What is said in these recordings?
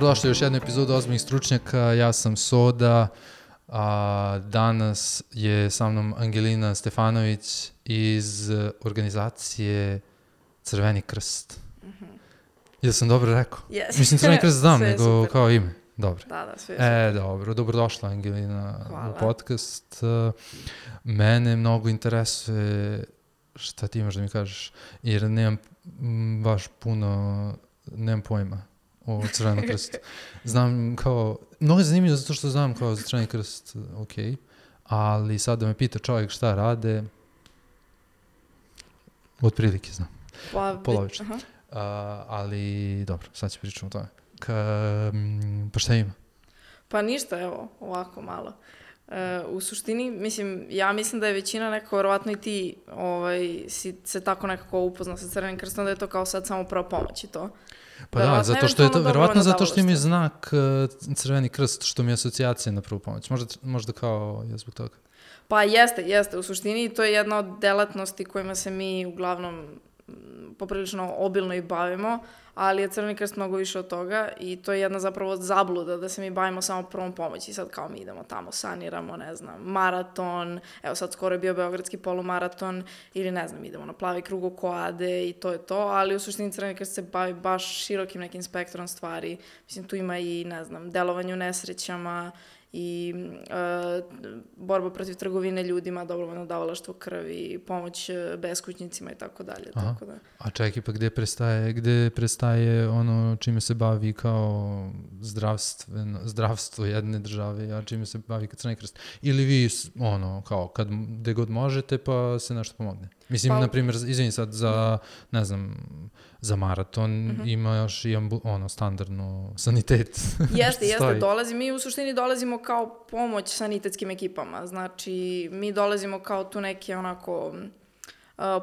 Dobrodošli u još jednu epizodu Ozbiljnih stručnjaka. Ja sam Soda, a danas je sa mnom Angelina Stefanović iz organizacije Crveni krst. Jel sam dobro rekao? Yes. Mislim, Crveni krst znam, Sve nego super. kao ime. Dobro. Da, sve je super. Dobro. Dobrodošla, Angelina, Hvala. u podcast. Mene mnogo interesuje šta ti imaš da mi kažeš, jer nemam baš puno, nemam pojma o Crvenom krstu. Znam kao, mnogo je zanimljivo zato što znam kao za Crveni krst, ok, ali sad da me pita čovjek šta rade, otprilike znam, polovično. Ali dobro, sad ću pričati o tome. Pa šta ima? Pa ništa, evo, ovako malo. U suštini, ja mislim da je većina nekako, verovatno i ti si se tako nekako upoznao sa Crvenim krstom, da je to kao sad samo prva pomoć i to. Pa da, zato što je to, verovatno zato što im je znak Crveni krst, što mi je asocijacija na prvu pomoć. Možda kao je zbog toga. Pa jeste. U suštini to je jedna od delatnosti kojima se mi uglavnom poprilično obilno i bavimo, ali je Crveni krst mnogo više od toga i to je jedna zapravo zabluda da se mi bavimo samo prvom pomoći. Sad kao mi idemo tamo, saniramo, ne znam, maraton, evo sad skoro je bio beogradski polumaraton ili ne znam, idemo na plavi krug oko Ade i to je to, ali u suštini Crveni krst se bavi baš širokim nekim spektrom stvari. Mislim, tu ima i, ne znam, delovanje u nesrećama i borba protiv trgovine ljudima, dobrovoljno davalaštvo krvi, pomoć beskućnicima i tako dalje. Tako da. A čekaj, pa gde prestaje ono čime se bavi kao zdravstvo jedne države, a čime se bavi Crveni krst? Ili vi, ono, kao, gde god možete, pa se nešto pomogne? Mislim, na primjer, izvini sad, za, ne znam, za maraton ima još i standardno sanitet. Jeste, mi u suštini dolazimo kao pomoć sanitetskim ekipama, znači mi dolazimo kao tu neke onako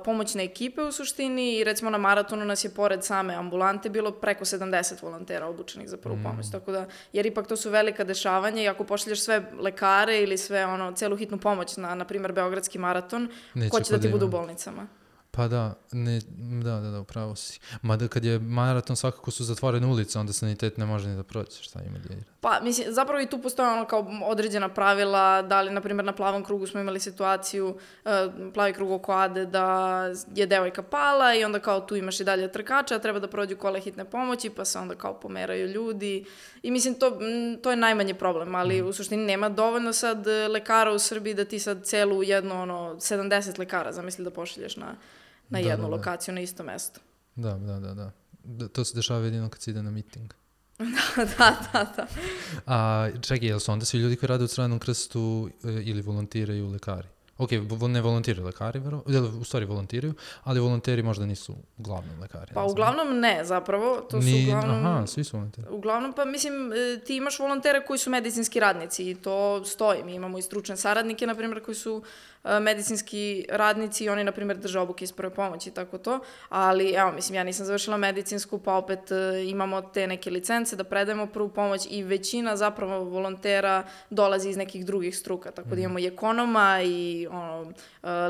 pomoćne ekipe u suštini i recimo na maratonu nas je pored same ambulante bilo preko 70 volontera obučenih za prvu pomoć, tako da, jer ipak to su velika dešavanja i ako pošalješ sve lekare ili sve celu hitnu pomoć na primjer beogradski maraton, ko će da ti budu u bolnicama? Pa da, upravo si. Mada kad je maraton svakako su zatvorene ulice, onda sanitet ne može ni da prođe, šta ima djelira. Pa, mislim, zapravo i tu postoje kao određena pravila, da li, na primjer, na plavom krugu smo imali situaciju, plavi krug oko Ade, da je devojka pala i onda kao tu imaš i dalje trkača, treba da prođu kole hitne pomoći, pa se onda kao pomeraju ljudi. I mislim, to je najmanji problem, ali u suštini nema dovoljno sad lekara u Srbiji da ti sad celu jednu, 70 lekara, zamisli da pošalješ na jednu lokaciju, na isto mesto. Da. To se dešava jedino kad se ide na miting. Da. A čekaj, jel su onda svi ljudi koji rade u Crvenom krstu ili volontiraju lekari? Ok, ne volontiraju lekari, u stvari volontiraju, ali volonteri možda nisu uglavnom lekari. Pa uglavnom ne, zapravo. To su uglavnom... Aha, svi su volonteri. Uglavnom, pa mislim, ti imaš volontere koji su medicinski radnici i to stoji. Mi imamo i stručne saradnike, na primjer, koji su medicinski radnici i oni, na primjer, drže obuke iz prve pomoći i tako to. Ali, evo, mislim, ja nisam završila medicinsku, pa opet imamo te neke licence da predajemo prvu pomoć i većina zapravo volontera dolazi iz nekih drugih struka. Tako da imamo i ekonoma i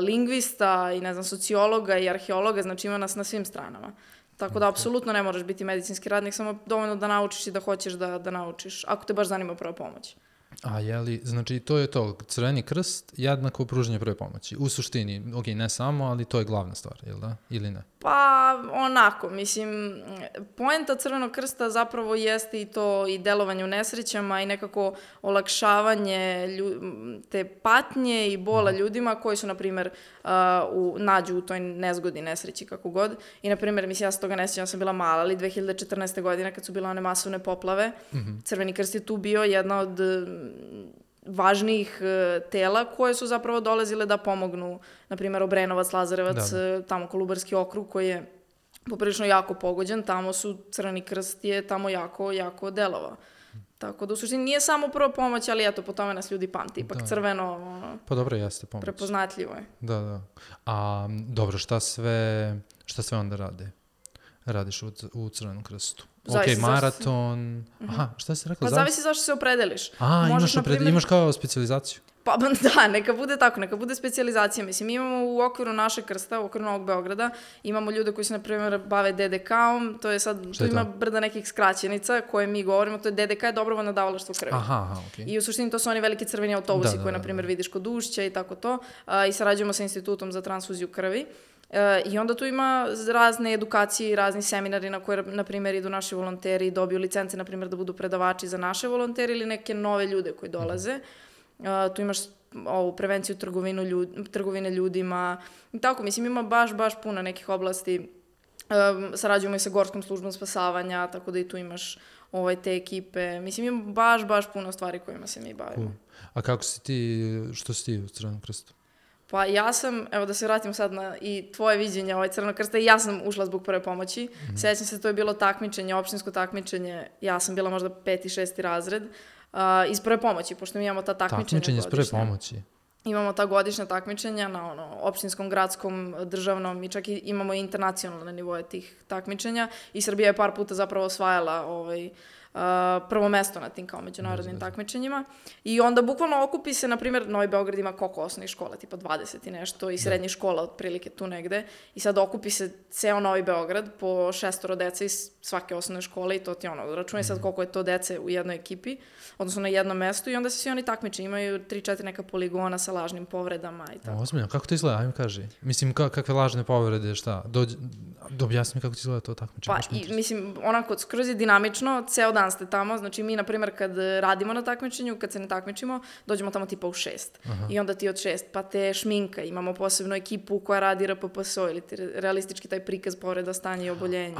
lingvista i, ne znam, sociologa i arheologa, znači ima nas na svim stranama. Tako da, apsolutno ne moraš biti medicinski radnik, samo dovoljno da naučiš i da hoćeš da naučiš, ako te baš zanima prva pomoć. A znači to je to, Crveni krst jednako pružanje prve pomoći. U suštini, ok, ne samo, ali to je glavna stvar, jel da? Ili ne? Pa, onako, mislim, poenta Crvenog krsta zapravo jeste i to i delovanje u nesrećama i nekako olakšavanje te patnje i bola ljudima koji su, na primjer, nađu u toj nezgodi, nesreći, kako god. I, na primjer, mislim, ja se toga ne sjećam, sam bila mala, ali 2014. godine, kad su bile one masovne poplave, Crveni krst je tu bio jedna od važnijih tela koje su zapravo dolazile da pomognu, na primjer, Obrenovac, Lazarevac, tamo Kolubarski okrug koji je poprilično jako pogođen, tamo su Crveni krst je tamo jako delovao. Tako da u suštini nije samo prva pomoć, ali eto, po tome nas ljudi pamti. Ipak crveno, pa dobro, jeste pomoć. Prepoznatljivo je. Da. A dobro, šta sve onda radiš u Crvenom krstu? Ok, maraton. Aha, šta si rekla? Pa zavisi zašto se opredeliš. Imaš kao specijalizaciju? Pa da, neka bude tako, neka bude specijalizacija. Mislim, imamo u okviru našeg krsta, u okviru Novog Beograda, imamo ljude koji se, na primjer, bave DDK-om, to je sad, tu ima brda nekih skraćenica koje mi govorimo, to je DDK je dobrovoljno davalaštvo krvi. Aha, okej. I u suštini to su oni veliki crveni autobusi koje, na primjer, vidiš kod Ušća i tako to. I sarađujemo sa Institutom za transfuziju krvi. I onda tu ima razne edukacije i razni seminari na koje, na primjer, idu naši volonteri i dobiju licence, na primjer, da budu predavači za naše volontere ili neke nove ljude koji dolaze. Tu imaš ovu prevenciju trgovine ljudima i tako, mislim, ima baš puno nekih oblasti. Sarađujemo i sa Gorskom službom spasavanja, tako da i tu imaš te ekipe. Mislim, ima baš puno stvari kojima se mi bavimo. A kako si ti, što si ti u Crvenom krstu? Pa ja sam, evo da se vratim sad na i tvoje viđenje Crvenog krsta, i ja sam ušla zbog prve pomoći. Sjećam se, to je bilo takmičenje, opštinsko takmičenje, ja sam bila možda 5. i 6. razred, iz prve pomoći, pošto mi imamo ta takmičenja godišnja. Takmičenje iz prve pomoći? Imamo ta godišnja takmičenja na opštinskom, gradskom, državnom i čak i imamo internacionalne nivoje tih takmičenja i Srbija je par puta zapravo osvajala prvo mesto na tim kao međunarodnim takmičenjima i onda bukvalno okupi se, na primjer, Novi Beograd ima koliko osnovnih škola, tipa 20 i nešto i srednjih škola otprilike tu negde i sad okupi se ceo Novi Beograd po 6 dece iz svake osnovne škole i to ti računaj sad koliko je to dece u jednoj ekipi, odnosno na jednom mestu i onda se svi oni takmiče, imaju 3-4 neka poligona sa lažnim povredama i tako. Ozbiljno, kako to izgleda, ajme kaži. Mislim, kakve lažne povrede, šta? Objasni mi kako ti izgleda to takmičenje. Pa, mislim, onako, skroz je dinamično, ceo dan ste tamo, znači mi, na primjer, kad radimo na takmičenju, kad se ne takmičimo, dođemo tamo tipa u 6. I onda ti od 6, pa te šminka, imamo posebnu ekipu koja radi RPPSO ili realistički taj prikaz povreda, stanja i oboljenja.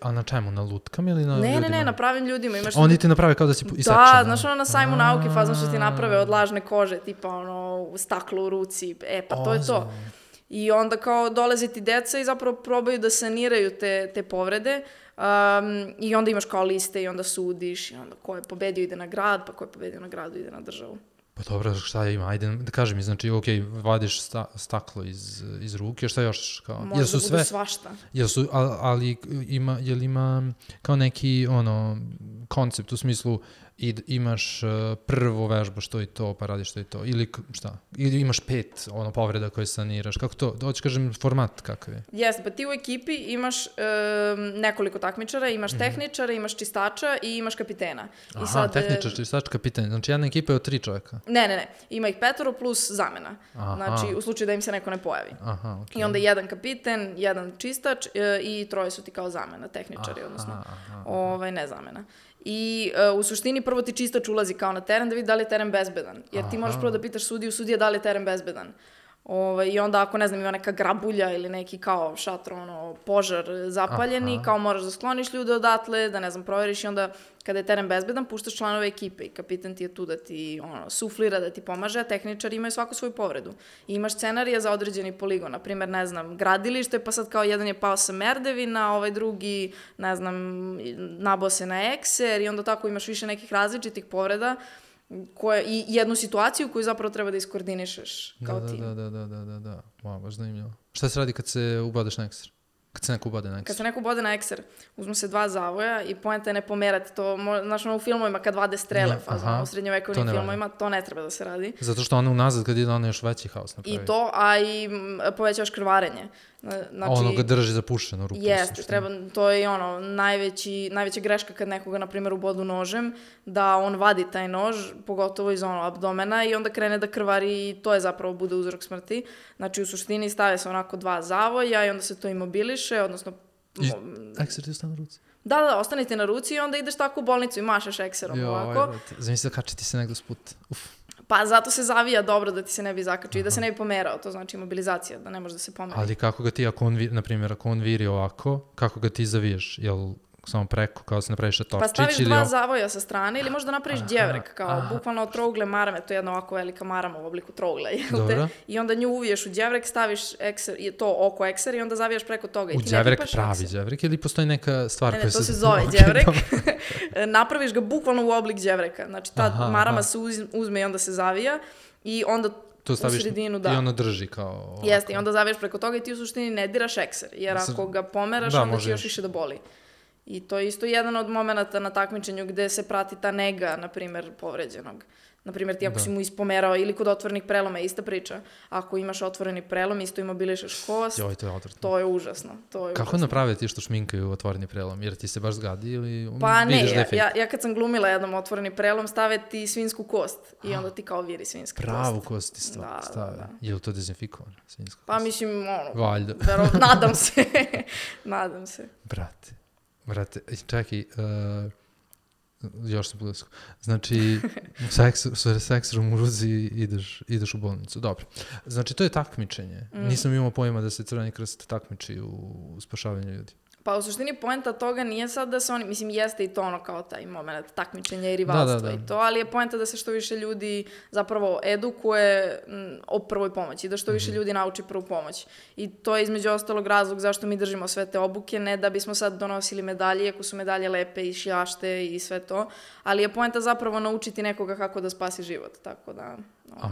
A na čemu, na lutkama ili na ljudima? Ne, na pravim ljudima. Oni ti naprave kao da si isečen. Da, znaš na sajmu nauke fazno što ti naprave od lažne kože, tipa staklo u ruci, pa to je to. I onda kao dolaze ti deca i zapravo probaju da saniraju te povrede i onda imaš kao liste i onda sudiš i onda ko je pobedio ide na grad, pa ko je pobedio na gradu ide na državu. Pa dobro, šta ima? Ajde da kaži mi, znači, okej, vadiš staklo iz ruke, šta još? Može da bude svašta. Ali jel ima kao neki, koncept u smislu imaš prvo vežbu što je to, pa radiš što je to, ili šta? Ili imaš 5 povreda koje saniraš, kako to? Hoću kažem format kakav je? Jeste, pa ti u ekipi imaš nekoliko takmičara, imaš tehničara, imaš čistača i imaš kapitena. Aha, tehničar, čistač, kapiten, znači jedna ekipa je od 3 čovjeka? Ne, ima ih 5 plus zamena, znači u slučaju da im se neko ne pojavi. Aha, okej. I onda jedan kapiten, jedan čistač i 3 su ti kao zamena, tehničari, odnosno ne zamena. I u suštini prvo ti čistač ulazi kao na teren da vidi da li je teren bezbedan. Jer ti moraš prvo da pitaš sudija da li je teren bezbedan. I onda ako, ne znam, ima neka grabulja ili neki kao šator, požar zapaljeni, kao moraš da skloniš ljude odatle, da, ne znam, provjeriš i onda kada je teren bezbedan, puštaš članove ekipe i kapitan ti je tu da ti suflira, da ti pomaže, a tehničari imaju svaku svoju povredu. I imaš scenarija za određeni poligon, na primjer, ne znam, gradilište, pa sad kao jedan je pao sa merdevina, ovaj drugi, ne znam, nabao se na ekser i onda tako imaš više nekih različitih povreda i jednu situaciju koju zapravo treba da iskoordinišeš kao tim. Da. Wow, baš zanimljivo. Šta se radi kad se ubadeš na ekser? Kad se neko ubade na ekser? Kad se neko ubade na ekser, uzmu se 2 zavoja i poenta je ne pomerati to. Znaš, u filmovima kad vade strele, u srednjovekovnim filmovima, to ne treba da se radi. Zato što ono unazad kad ide, ono još veći haos napravi. I to, a i povećavaš krvarenje. Znači, ono ga drži zapušeno ruku. Jeste, to je najveća greška kad nekoga, na primjer, ubodu nožem, da on vadi taj nož, pogotovo iz abdomena i onda krene da krvari i to je zapravo bude uzrok smrti. Znači, u suštini stave se onako 2 zavoja i onda se to imobiliše, odnosno... Ekser ti ostane na ruci? Da, ostane ti na ruci i onda ideš tako u bolnicu i mašaš ekserom ovako. Zamisli da kači ti se negdje sput. Pa zato se zavija dobro da ti se ne bi zakačio i da se ne bi pomerao, to znači imobilizacija, da ne može da se pomeri. Ali kako ga ti, na primjer, ako on viri ovako, kako ga ti zaviješ? Jel samo preko, kao da se napraviš šatorčić? Pa staviš 2 zavoja sa strane ili možda napraviš đevrek, kao bukvalno od trougle marame, to je jedna ovako velika marama u obliku trougle, i onda nju uviješ u đevrek, staviš to oko ekser i onda zavijaš preko toga. U đevrek, pravi đevrek ili postoji neka stvar koja se... Ne, to se zove đevrek. Napraviš ga bukvalno u oblik đevreka, znači ta marama se uzme i onda se zavija i onda to staviš i ono drži kao... Jeste, i onda zavijaš preko toga i ti u suštini ne diraš ekser, jer ako ga pomeraš, onda će još više da boli. I to je isto jedan od momenata na takmičenju gde se prati ta nega, na primjer, povređenog. Naprimjer, ti ako si mu ispomerao ili kod otvorenih preloma je ista priča. Ako imaš otvoreni prelom, isto imobilišeš kost, to je užasno. Kako napraviti ti što šminkaju otvoreni prelom? Jer ti se baš zgadi ili pa ne, ja kad sam glumila jednom otvoreni prelom, stave ti svinjsku kost i onda ti kao viri svinjska kost. Pravu kost ti stave. Je li to dezinfikovano? Svinjska kost? Pa mislim, valjda. Nadam se. Brate, čekaj, još sam blisko. Znači, seksom u ruzi ideš u bolnicu. Dobro. Znači, to je takmičenje. Nisam imao pojma da se Crveni krst takmiči u spašavanju ljudi. Pa u suštini poenta toga nije sad da se oni, mislim jeste i to ono kao taj moment takmičenja i rivalstva i to, ali je poenta da se što više ljudi zapravo edukuje o prvoj pomoći, da što više ljudi nauči prvu pomoć. I to je između ostalog razlog zašto mi držimo sve te obuke, ne da bismo sad donosili medalje, iako su medalje lepe i šljašte i sve to, ali je poenta zapravo naučiti nekoga kako da spasi život, tako da... A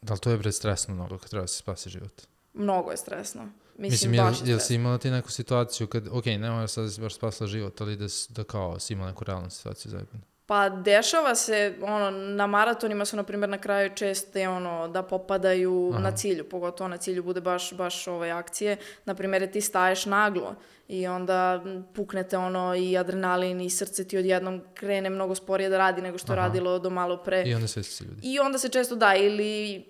da li to je bre stresno mnogo kad treba se spasi život? Mnogo je stresno. Mislim, jel si imala ti neku situaciju kad, ne mora sad da si baš spasila život, ali da kao si imala neku realnu situaciju zajedno? Pa dešava se, na maratonima su, na primjer, na kraju česte, da popadaju na cilju, pogotovo na cilju bude baš ove akcije. Na primjer, ti staješ naglo i onda puknete i adrenalin i srce ti odjednom krene mnogo sporije da radi nego što je radilo do malo pre. I onda svesti se ljudi. I onda se često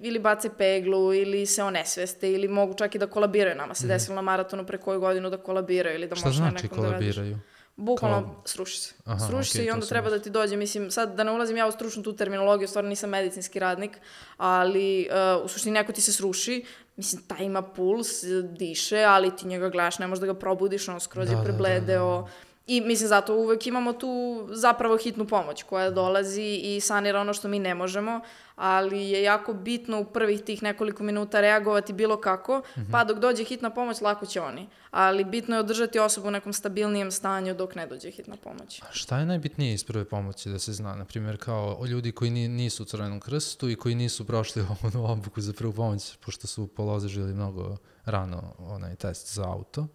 ili bace peglu, ili se onesveste, ili mogu čak i da kolabiraju. Nama se desilo na maratonu pre koju godinu da kolabiraju ili da možeš na nekom da radiš. Šta znači kolabiraju? Bukvalno sruši se. Sruši se i onda treba da ti dođe, mislim, sad da ne ulazim ja u stručnu tu terminologiju, stvarno nisam medicinski radnik, ali u suštini neko ti se sruši, mislim, taj ima puls, diše, ali ti njega gledaš, ne možeš da ga probudiš, skroz je prebledeo. I mislim, zato uvek imamo tu zapravo hitnu pomoć koja dolazi i sanira ono što mi ne možemo, ali je jako bitno u prvih tih nekoliko minuta reagovati bilo kako, pa dok dođe hitna pomoć, lako će oni. Ali bitno je održati osobu u nekom stabilnijem stanju dok ne dođe hitna pomoć. A šta je najbitnije iz prve pomoći da se zna? Naprimjer, kao ljudi koji nisu u Crvenom krstu i koji nisu prošli obuku za prvu pomoć, pošto su položili mnogo rano onaj test za auto.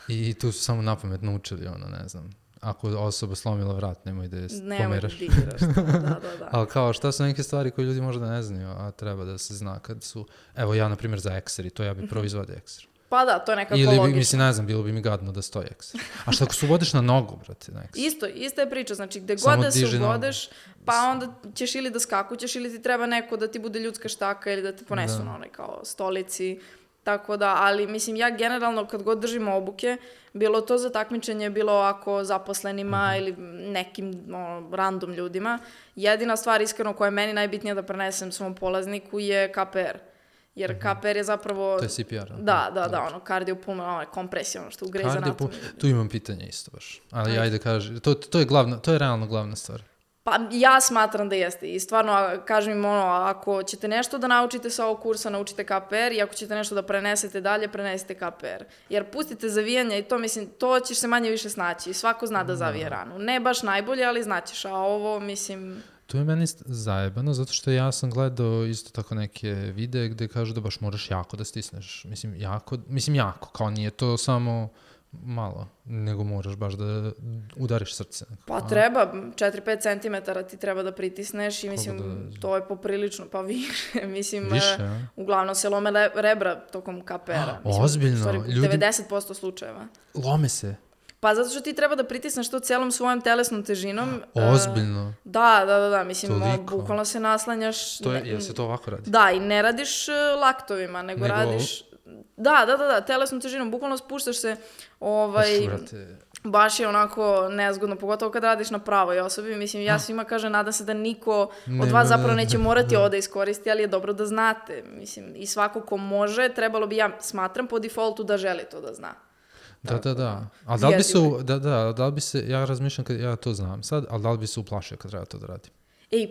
I tu su samo napamet naučili, ne znam, ako osoba slomila vrat, nemoj da je pomeraš. Nemoj da digiraš, da. Ali kao, šta su neke stvari koje ljudi možda ne znaju, a treba da se zna kad su... Evo, ja, na primjer, za ekser, to ja bi prvo izvadio ekser. Pa da, to je nekako logično. Ili, mislim, ne znam, bilo bi mi gadno da stoji ekser. A šta ako se uvodiš na nogu, brate, na ekser? Ista je priča, znači, gde god da se uvodeš, pa onda ćeš ili da skakućeš, ili ti treba neko da ti bude ljudska štaka, ili da te ponesu na onaj kao stolici. Tako da, ali mislim, ja generalno kad god držim obuke, bilo to za takmičenje, bilo ako zaposlenima ili nekim random ljudima, jedina stvar iskreno koja je meni najbitnija da prenesem svom polazniku je KPR. Jer KPR je zapravo... To je CPR. Da, kardiopulmonalna kompresija, što ugreže anatomiju. Tu imam pitanje isto baš, ali ajde kaži, to je realno glavna stvar. Pa ja smatram da jeste i stvarno kažem im ako ćete nešto da naučite sa ovog kursa, naučite KPR i ako ćete nešto da prenesete dalje, prenesite KPR. Jer pustite zavijanja i to, mislim, to ćeš se manje više snaći. Svako zna da zavije ranu. Ne baš najbolje, ali znaćeš, a ovo, mislim... To je meni zajebano, zato što ja sam gledao isto tako neke videe gde kažu da baš moraš jako da stisneš. Mislim, jako, kao nije to samo... malo, nego moraš baš da udariš srce. Pa treba, 4-5 centimetara ti treba da pritisneš i mislim, to je poprilično, pa više, mislim, uglavnom se lome rebra tokom KPR-a. Ozbiljno? Ljudi... 90% slučajeva. Lome se? Pa zato što ti treba da pritisneš to celom svojom telesnom težinom. Ozbiljno? Da, mislim, bukvalno se naslanjaš. Jel se to ovako radi? Da, i ne radiš laktovima, nego radiš... Da, telesnom težinom, bukvalno spuštaš se, baš je onako nezgodno, pogotovo kad radiš na pravoj osobi, mislim, ja svima kažem, nadam se da niko od vas zapravo neće morati ovo da iskoristi, ali je dobro da znate, mislim, i svako ko može, trebalo bi, ja smatram, po defaultu da želi to da zna. Da. A da li bi se, ja razmišljam kad ja to znam sad, ali da li bi se uplašio kad treba to da radim?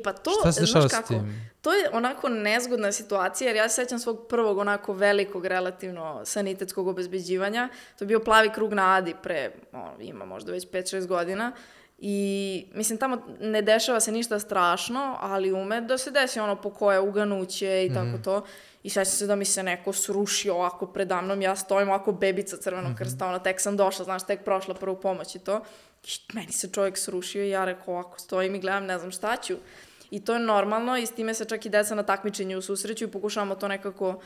Pa to, znaš kako, to je onako nezgodna situacija, jer ja se sećam svog prvog onako velikog relativno sanitetskog obezbeđivanja. To je bio plavi krug na Adi pre, ima možda već 5-6 godina. I, mislim, tamo ne dešava se ništa strašno, ali ume da se desi po koje uganuće i tako to. I sećam se da mi se neko srušio ovako predamnom, ja stojim ovako bebica Crvenog krsta, tek sam došla, znaš, tek prošla prvu pomoć i to. I meni se čovjek srušio i ja rekao ovako stojim i gledam, ne znam šta ću. I to je normalno i s time se čak i deca na takmičenju susreću i pokušavamo to nekako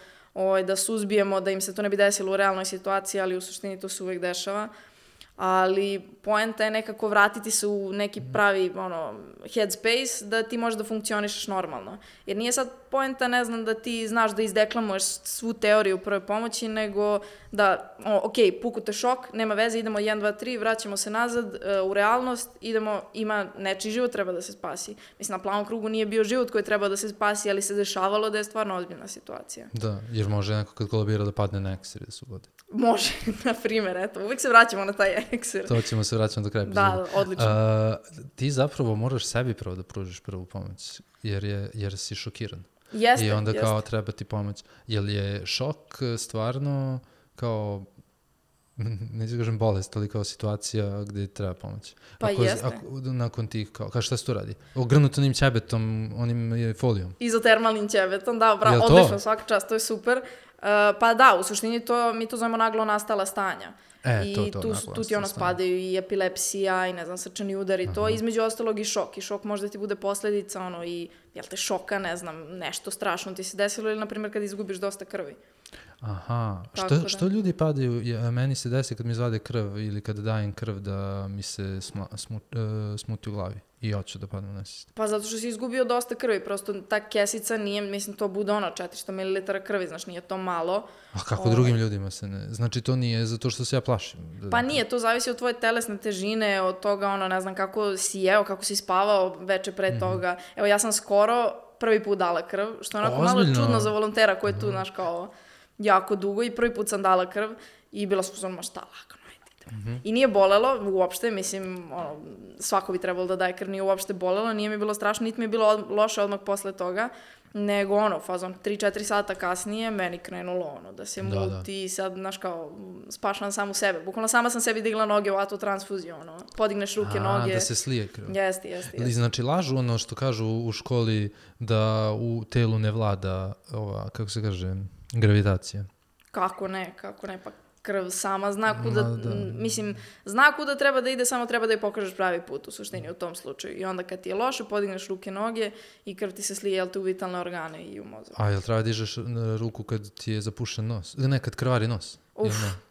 da suzbijemo, da im se to ne bi desilo u realnoj situaciji, ali u suštini to se uvek dešava. Ali poenta je nekako vratiti se u neki pravi headspace da ti možeš da funkcionišeš normalno. Jer nije sad poenta, ne znam, da ti znaš da izdeklamuješ svu teoriju prve pomoći, nego da, ok, puku te šok, nema veze, idemo 1, 2, 3, vraćamo se nazad u realnost, ima nečiji život treba da se spasi. Mislim, na plavom krugu nije bio život koji treba da se spasi, ali se dešavalo da je stvarno ozbiljna situacija. Da, jer može neko kad kolabira da padne na ekser da se ugodi. Može, na primjer, eto, uvijek se vraćamo na taj ekser. To ćemo se vraćati do kraja epizoda. Da, odlično. Ti zapravo moraš sebi prvo da pružiš prvu pomoć, jer si šokiran. Jeste, i onda kao treba ti pomoć. Jel je šok stvarno kao, neću kažem bolest, ali kao situacija gdje treba pomoć? Pa jeste. Nakon tih, kao šta se tu radi? Ogrnuto onim ćebetom, onim folijom? Izotermalnim ćebetom, da, bravo, odlično, svaka čast, to je super. Pa da, u suštini mi to zovemo naglo nastala stanja. I tu ti spadaju i epilepsija i ne znam, srčani udar i to, između ostalog i šok. I šok možda ti bude posljedica i jel te šoka, ne znam, nešto strašno ti se desilo ili na primjer kad izgubiš dosta krvi. Aha, što ljudi padaju, meni se desi kad mi izvade krv ili kad dajem krv da mi se smuti u glavi i hoću da padnem na sistem. Pa zato što si izgubio dosta krvi, prosto ta kesica nije, mislim to bude 400 ml krvi, znaš, nije to malo. A kako drugim ljudima se ne, znači to nije zato što se ja plašim? Pa nije, to zavisi od tvoje telesne težine, od toga, ne znam, kako si jeo, kako si spavao veče pre toga. Evo, ja sam skoro prvi put dala krv, što je onako malo čudno za volontera koji je tu, znaš, kao jako dugo i prvi put sam dala krv i bila sam šta lagano. I nije bolelo uopšte, mislim, svako bi trebalo da daje krv, nije uopšte bolelo, nije mi bilo strašno, niti mi je bilo loše odmah posle toga, nego fazon 3-4 sata kasnije meni krenulo da se muti i sad, znaš, kao, spašam samu sebe. Bukvalno sama sam sebi digla noge u autotransfuziju, podigneš ruke, noge. Da se slije krv. Jeste. Znači, lažu što kažu u školi da u telu ne vlada kako se kaže, gravitacija. Kako ne, pa krv sama zna kuda, mislim, zna kuda treba da ide, samo treba da je pokažeš pravi put u suštini u tom slučaju. I onda kad ti je loše, podigneš ruke, noge i krv ti se slije, jel te u vitalne organe i u mozak. A jel treba dižeš ruku kad ti je zapušen nos? Ne, kad krvari nos?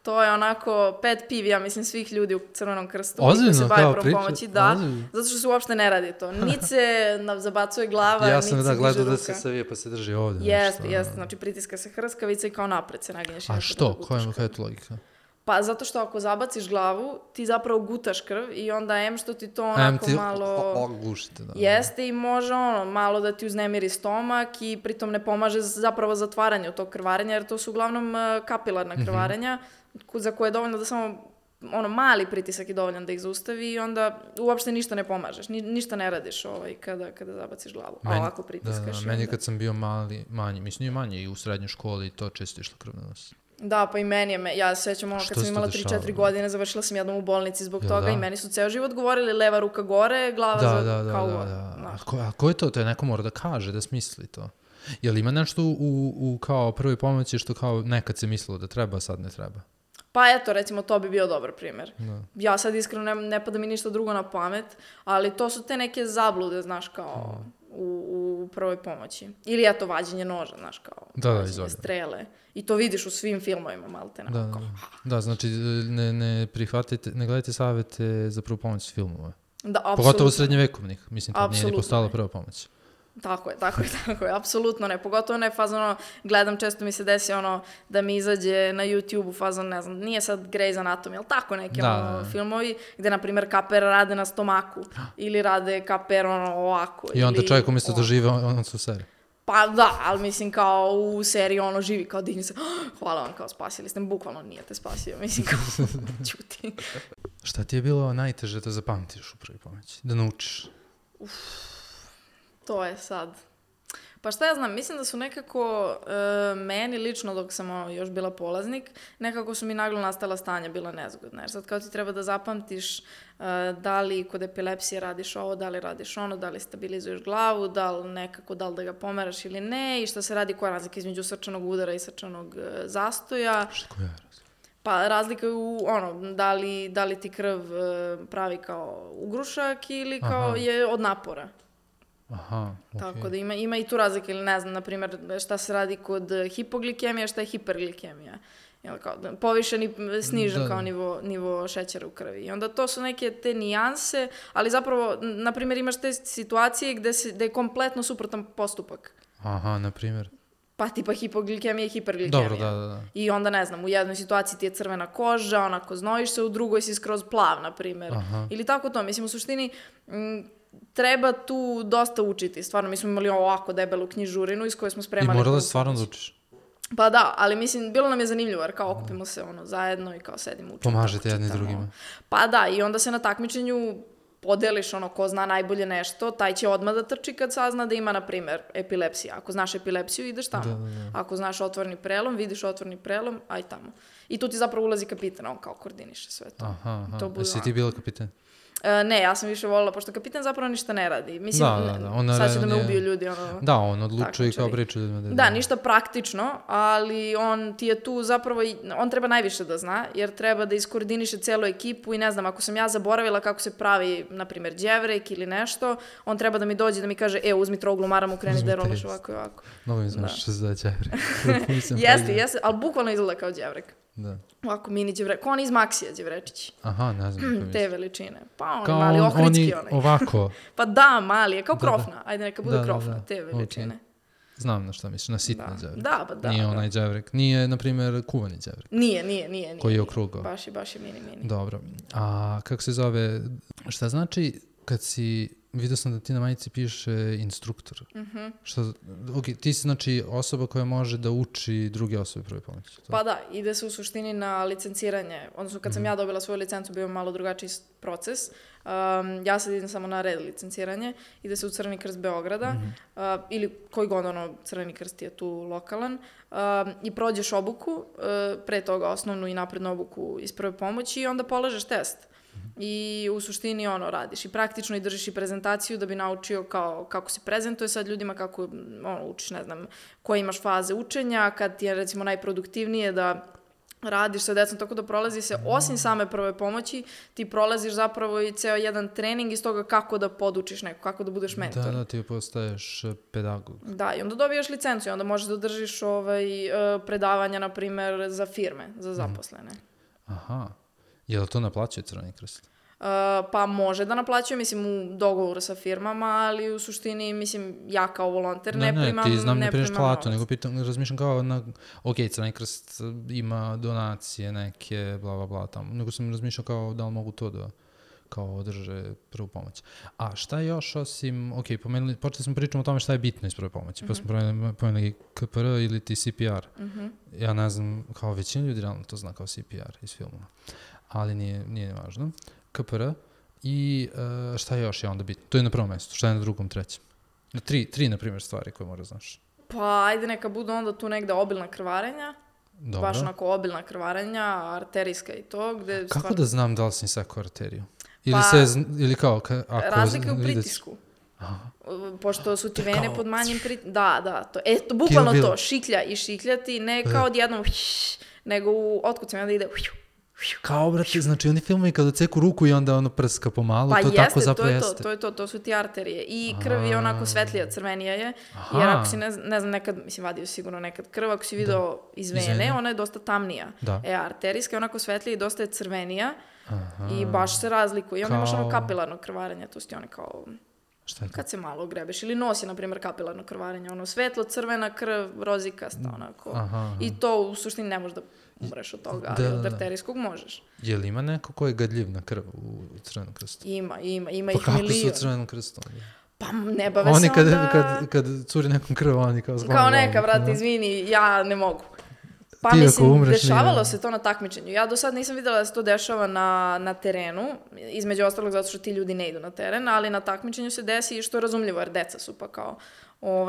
To je onako pet piv, ja mislim, svih ljudi u Crvenom krstu. Ozbiljno, se bave prvom pomoći, da, zato što se uopšte ne radi to. Niti se zabacuje glava, ja niti se diže ruka. Ja sam gledao da se savije pa se drži ovdje. Jeste, znači pritiska se hrskavica i kao napred se naginješ. A što? Koja je to logika? Pa zato što ako zabaciš glavu, ti zapravo gutaš krv i onda što ti to onako malo gušite, da. Jeste i može malo da ti uznemiri stomak i pritom ne pomaže zapravo zatvaranju tog krvarenja, jer to su uglavnom kapilarna krvarenja za koje je dovoljno da samo mali pritisak je dovoljan da ih zaustavi i onda uopšte ništa ne pomažeš, ništa ne radiš kada zabaciš glavu, a ovako pritiskaš. Meni kad sam bio manji, mislim nije manji, i u srednjoj školi to često išlo krv na nos. Da, pa i meni je, ja se sjećam kad sam imala 3-4 godine, završila sam jednom u bolnici zbog toga i meni su ceo život govorili leva ruka gore, glava kao gore. A ko je to? To je neko mora da kaže, da smisli to. Jel ima nešto u kao prvoj pomoći što kao nekad se mislilo da treba, sad ne treba? Pa eto, recimo, to bi bio dobar primjer. Ja sad iskreno ne pada mi ništa drugo na pamet, ali to su te neke zablude, znaš, kao u prvoj pomoći. Ili eto, vađenje noža, znaš, kao vađenje strele. I to vidiš u svim filmovima, malte. Da, znači ne prihvatite, ne gledajte savjete za prvu pomoć filmova. Da, apsolutno. Pogotovo srednjevjekovnih, mislim, kad nije ni postala prva pomoć. Tako je, apsolutno ne, pogotovo ne fazon, gledam, često mi se desi da mi izađe na YouTube-u fazon, ne znam, nije sad Grey's Anatomy, ali tako neki filmovi, gde, na primjer, kaper rade na stomaku, ili rade kaper ovako. I onda čovjek umjesto da žive, on su u seriji. Pa da, ali mislim kao u seriji živi, kao digni se, hvala vam, kao spasili ste, bukvalno nije te spasio, mislim kao čuti. Šta ti je bilo najteže da zapamtiš u prvoj pomoći, da naučiš? To je sad. Pa šta ja znam, mislim da su nekako meni lično dok sam još bila polaznik, nekako su mi naglo nastala stanja bila nezgodna. Jer sad kao ti treba da zapamtiš da li kod epilepsije radiš ovo, da li radiš ono, da li stabilizuješ glavu, da li da ga pomeraš ili ne i šta se radi, koja je razlika između srčanog udara i srčanog zastoja. Koja je razlika? Pa razlika je u da li ti krv pravi kao ugrušak ili kao je od napora. Aha, Tako da ima i tu razlike, ili ne znam, na primjer, šta se radi kod hipoglikemije, šta je hiperglikemija. Jel, kao, povišen i snižen kao nivo šećera u krvi. I onda to su neke te nijanse, ali zapravo, na primjer, imaš te situacije gde je kompletno suprotan postupak. Aha, na primjer. Pa tipa hipoglikemija i hiperglikemija. Dobro, da. I onda, ne znam, u jednoj situaciji ti je crvena koža, onako znojiš se, u drugoj si skroz plav, na primjer. Ili tako to. Mislim, u suštini, treba tu dosta učiti. Stvarno, mi smo imali ovako debelu knjižurinu iz koje smo spremali... I morala stvarno da učiš? Pa da, ali mislim, bilo nam je zanimljivo, jer kao okupimo se zajedno i kao sedimo učimo. Pomažete jedni drugima. Pa da, i onda se na takmičenju podeliš ko zna najbolje nešto, taj će odmah da trči kad sazna da ima, na primjer, epilepsija. Ako znaš epilepsiju, ideš tamo. Da. Ako znaš otvorni prelom, vidiš otvorni prelom, aj tamo. I tu ti zapravo ulazi kapitan, on kao koordiniše sve to. Aha. Jesi ti bila kapitan? Ne, ja sam više volila, pošto kapitan zapravo ništa ne radi. Mislim, sad će da me ubiju ljudi. Da, on odlučuje i kao priča ljudima. Da, ništa praktično, ali on ti je tu zapravo, on treba najviše da zna, jer treba da iskoordiniše celu ekipu i ne znam, ako sam ja zaboravila kako se pravi, na primjer, đevrek ili nešto, on treba da mi dođe da mi kaže, uzmi troglu, maram ukreni da rolaš ovako i ovako. Mnogo mi znaš što se da đevrek. Jeste, ali bukvalno izgleda kao đevrek. Da. Ovako mini đevrek, ko on iz Maksija đevrečići. Aha, ne znam. Te veličine. Pa on mali, ohridski onaj. Ovako. Pa da, mali je, kao krofna. Ajde neka bude krofna, te veličine. Znam na šta misliš, na sitni đevrek. Da, pa da. Nije onaj đevrek. Nije, na primjer, kuvani đevrek. Nije. Koji je okrugao. Baš je mini. Dobro. A kako se zove, šta znači kad si... Vidio sam da ti na majici piše instruktor. Ti si znači osoba koja može da uči druge osobe prve pomoći. Pa da, ide se u suštini na licenciranje. Odnosno kad sam ja dobila svoju licencu bio malo drugačiji proces. Ja sad idem samo na red licenciranje. Ide se u Crveni krst Beograda ili koji god Crveni krst je tu lokalan. I prođeš obuku, pre toga osnovnu i naprednu obuku iz prve pomoći i onda polažeš test. I u suštini radiš i praktično i držiš i prezentaciju da bi naučio kako se prezentuje sad ljudima, kako učiš, ne znam, koje imaš faze učenja, kad ti je recimo najproduktivnije da radiš sa decom, tako da prolazi se, osim same prve pomoći, ti prolaziš zapravo i ceo jedan trening iz toga kako da podučiš neko, kako da budeš mentor. Da, ti postaješ pedagog. Da, i onda dobijaš licencu i onda možeš da držiš predavanja, na primer, za firme, za zaposlene. Aha. Je li to naplaćuje Crveni krst? Pa može da naplaćuje, mislim, u dogovoru sa firmama, ali u suštini, mislim, ja kao volonter ne primam ti znam ne primaš platu, novac. nego razmišljam kao Crveni krst ima donacije neke, bla, tamo. Nego sam razmišljao kao da li mogu to da kao održe prvu pomoć. A šta još osim, počeli smo pričamo o tome šta je bitno iz prve pomoći, pa smo pomenuli KPR ili ti CPR. Ja ne znam, kao većina ljudi realno to zna kao CPR iz filmova. Ali nije važno. KPR i šta još je onda bitno? To je na prvom mjestu. Šta je na drugom, trećem? Tri, na primjer, stvari koje mora znaš. Pa, ajde neka budu onda tu negde obilna krvarenja. Dobro. Baš onako obilna krvarenja, arterijska i to. Kako da znam da li sam sekao arteriju? Ili kao... Razlika u pritisku. Pošto su ti vene pod manjim pritiskom. Da. To bukvalno to. Šiklja i šikljati. Ne kao odjednom nego u otkucima da ide... Kao, brate, znači oni filmovi kada ceku ruku i onda prska pomalo, to tako zapravo jeste. To su ti arterije. I krv je onako svetlija, crvenija je, jer ako si, ne znam, nekad, mislim, vadio sigurno nekad krv, ako si video iz vene, ona je dosta tamnija. Arterijska je onako svetlija i dosta je crvenija i baš se razlikuje. I onda imaš kapilarno krvarenje, to su ti one kao... Kad se malo grebeš. Ili nosi, na primjer, kapilarno krvarenje. Svetlo, crvena krv, rozikasta, onako. I to u suštini ne može da umreš od toga, ali od arterijskog možeš. Je li ima neko ko je gadljiv na krv u Crvenom krstu? Ima ih milion. Pa kako su u Crvenom krstu? Pa ne bave se onda... Kad curi nekom krv, oni kao zgleda. Kao neka, brate, izvini, ja ne mogu. Pa mislim, dešavalo se to na takmičenju. Ja do sad nisam videla da se to dešava na terenu, između ostalog zato što ti ljudi ne idu na teren, ali na takmičenju se desi i što je razumljivo, jer deca su pa kao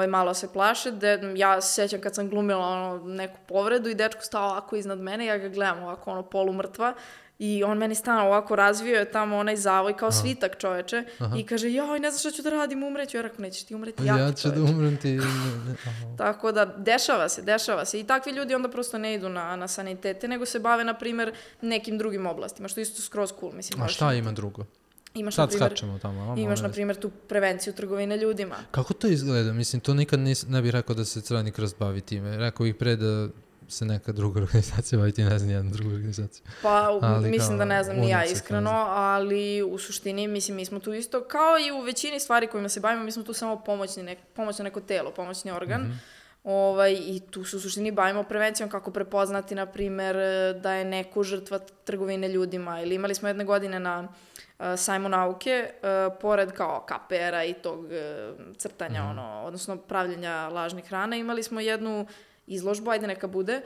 malo se plaše. Ja se sjećam kad sam glumila neku povredu i dečko stao ovako iznad mene, ja ga gledam ovako polumrtva i on meni stano ovako razvio je tamo onaj zavoj kao svitak čoveče i kaže, joj, ne znam šta ću da radim, umreću. Ja rekao, nećeš ti umreti, ja ću da umrem ti. Tako da, dešava se. I takvi ljudi onda prosto ne idu na sanitete, nego se bave, na primjer, nekim drugim oblastima, što isto skroz cool, mislim. A šta ima drugo? Imaš, Sad na primjer, skačemo tamo. na primjer, tu prevenciju trgovine ljudima. Kako to izgleda? Mislim, to nikad ne bih rekao da se Crveni krst bavi time. Rekao bih pre da se neka druga organizacija bavi time, ne znam nijednu drugu organizaciju. Pa, mislim da ne znam ni ja iskreno, ali u suštini, mislim, mi smo tu isto, kao i u većini stvari kojima se bavimo, mi smo tu samo pomoćno neko telo, pomoćni organ. I tu se u suštini bavimo prevencijom kako prepoznati, na primjer, da je neko žrtva trgovine ljudima. Ili imali smo jedne godine na sajmu nauke, pored kao KPR-a i tog crtanja, odnosno pravljenja lažnih hrana, imali smo jednu izložbu, ajde neka bude,